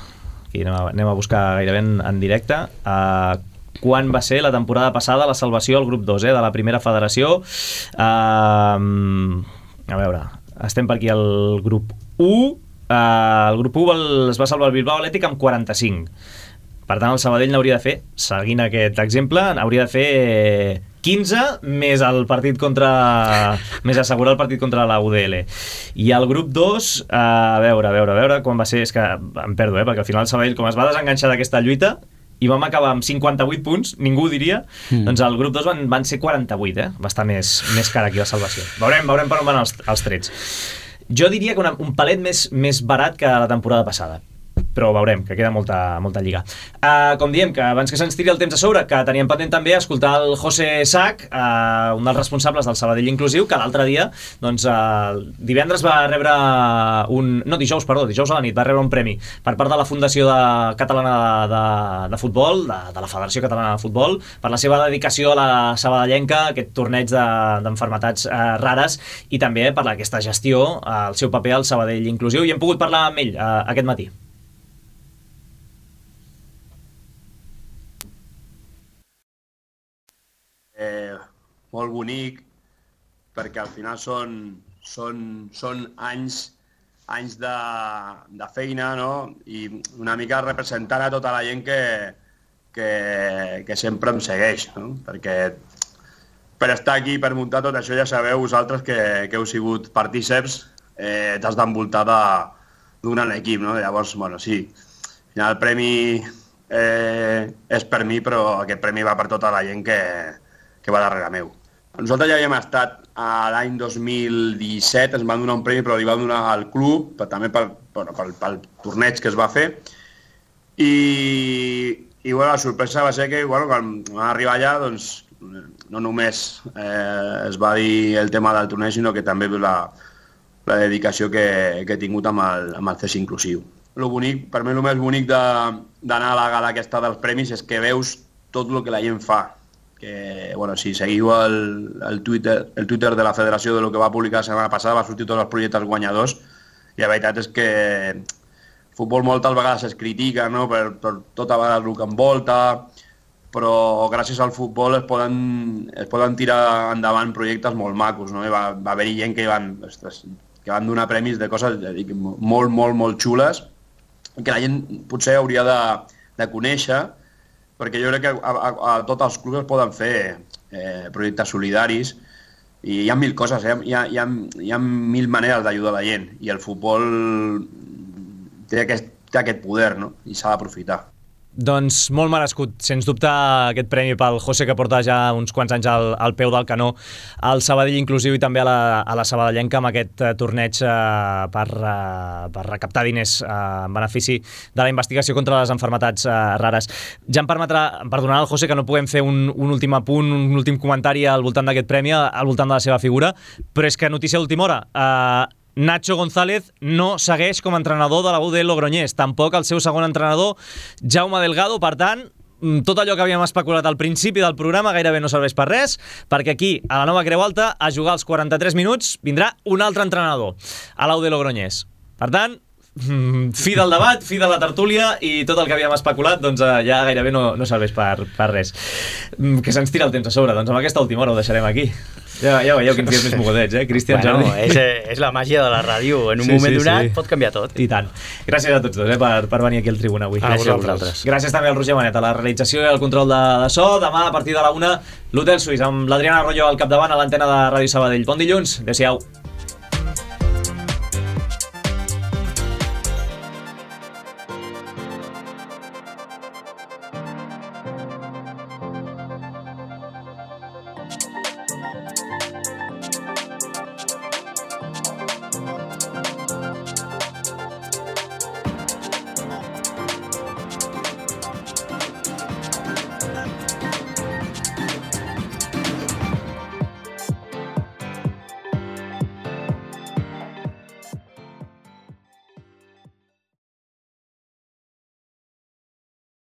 aquí anem a, anem a buscar gairebé en, en directe. Uh, quan va ser la temporada passada la salvació al grup dos, eh, de la primera federació? Uh, a veure, estem per aquí al grup u. Uh, el grup u es va salvar el Bilbao Atlètic amb quaranta-cinc. Per tant, el Sabadell n'hauria de fer, seguint aquest exemple, hauria de fer quinze més el partit contra... més assegurar el partit contra la U D L. I el grup dos, uh, a veure, a veure, a veure, quan va ser... És que em perdo, eh, perquè al final el Sabadell, com es va desenganxar d'aquesta lluita, i vam acabar amb cinquanta-vuit punts, ningú ho diria, mm. doncs el grup dos van, van ser quaranta-vuit, eh? Va estar més, més cara aquí la salvació. Veurem, veurem per on van els, els trets. Jo diria que una, un palet més, més barat que la temporada passada, però veurem, que queda molta, molta lliga. Uh, com diem, que abans que se'ns tiri el temps a sobre, que teníem pendent també escoltar el José Sac, uh, un dels responsables del Sabadell Inclusiu, que l'altre dia, doncs, uh, divendres va rebre un... No, dijous, perdó, dijous a la nit, va rebre un premi per part de la Fundació de, Catalana de, de, de Futbol, de, de la Federació Catalana de Futbol, per la seva dedicació a la sabadellenca, aquest torneig d'enfermetats de, uh, rares, i també per aquesta gestió, uh, el seu paper al Sabadell Inclusiu, i hem pogut parlar amb ell uh, aquest matí. Eh, molt bonic, perquè al final són, són, són anys, anys de, de feina, no? I una mica representant a tota la gent que, que, que sempre em segueix, no? Perquè per estar aquí, per muntar tot això, ja sabeu vosaltres que, que heu sigut partíceps, eh, t'has d'envoltar d'un gran equip, no? Llavors, bueno, sí, al final el premi eh, és per mi, però aquest premi va per tota la gent que que va darrere meu. Nosaltres ja havíem estat l'any dos mil disset, ens van donar un premi, però li van donar al club, però també pel, bueno, pel, pel torneig que es va fer. I, i bueno, la sorpresa va ser que bueno, quan vam arribar allà, doncs, no només eh, es va dir el tema del torneig, sinó que també la, la dedicació que, que he tingut amb el, amb el C E S Inclusiu. Lo bonic, per mi el més bonic d'anar a la gala aquesta dels premis és que veus tot el que la gent fa. Que, bueno, si seguiu el, el, Twitter, el Twitter de la Federació de lo que va publicar la setmana passada, va sortir tots els projectes guanyadors, i la veritat és que el futbol moltes vegades es critica, no? per, per tota vegada el que envolta, però gràcies al futbol es poden, es poden tirar endavant projectes molt macos, no? I va, va haver-hi gent que van, ostres, que van donar premis de coses dic, molt, molt, molt xules, que la gent potser hauria de, de conèixer, perquè jo crec que a, a, a tots els clubs es poden fer eh, projectes solidaris i hi ha mil coses, eh? hi, ha, hi, ha, hi ha mil maneres d'ajudar la gent i el futbol té aquest, té aquest poder, no? I s'ha d'aprofitar. Doncs molt merescut, sens dubte, aquest premi pel José, que porta ja uns quants anys al, al peu del canó al Sabadell Inclusiu i també a la, a la Sabadellenca amb aquest uh, torneig uh, per, uh, per recaptar diners uh, en benefici de la investigació contra les enfermetats uh, rares. Ja em permetrà, em perdonarà el José que no puguem fer un, un últim apunt, un últim comentari al voltant d'aquest premi, al voltant de la seva figura, però és que notícia d'última hora, uh, Nacho González no segueix com a entrenador de la U D Logroñés, tampoc el seu segon entrenador, Jaume Delgado. Per tant, tot allò que havíem especulat al principi del programa gairebé no serveix per res, perquè aquí, a la nova Creu Alta, a jugar els quaranta-tres minuts, vindrà un altre entrenador a la U D Logroñés. Per tant, fi del debat, fi de la tertúlia, i tot el que havíem especulat doncs ja gairebé no, no serveix per, per res. Que se'ns tira el temps a sobre, doncs amb aquesta última hora ho deixarem aquí. Ja, ja veieu quins dies més mogodets, eh? Cristian, bueno, Jordi. És, és la màgia de la ràdio. En un sí, moment sí, donat sí. pot canviar tot. I tant. Gràcies a tots dos, eh, per, per venir aquí al Tribuna avui. Gràcies a vosaltres. Gràcies també al Roger Manet a la realització i al control de, de so. Demà, a partir de la una, l'Hotel Suís, amb l'Adriana Arroyo al capdavant a l'antena de Ràdio Sabadell. Bon dilluns. Adéu-siau.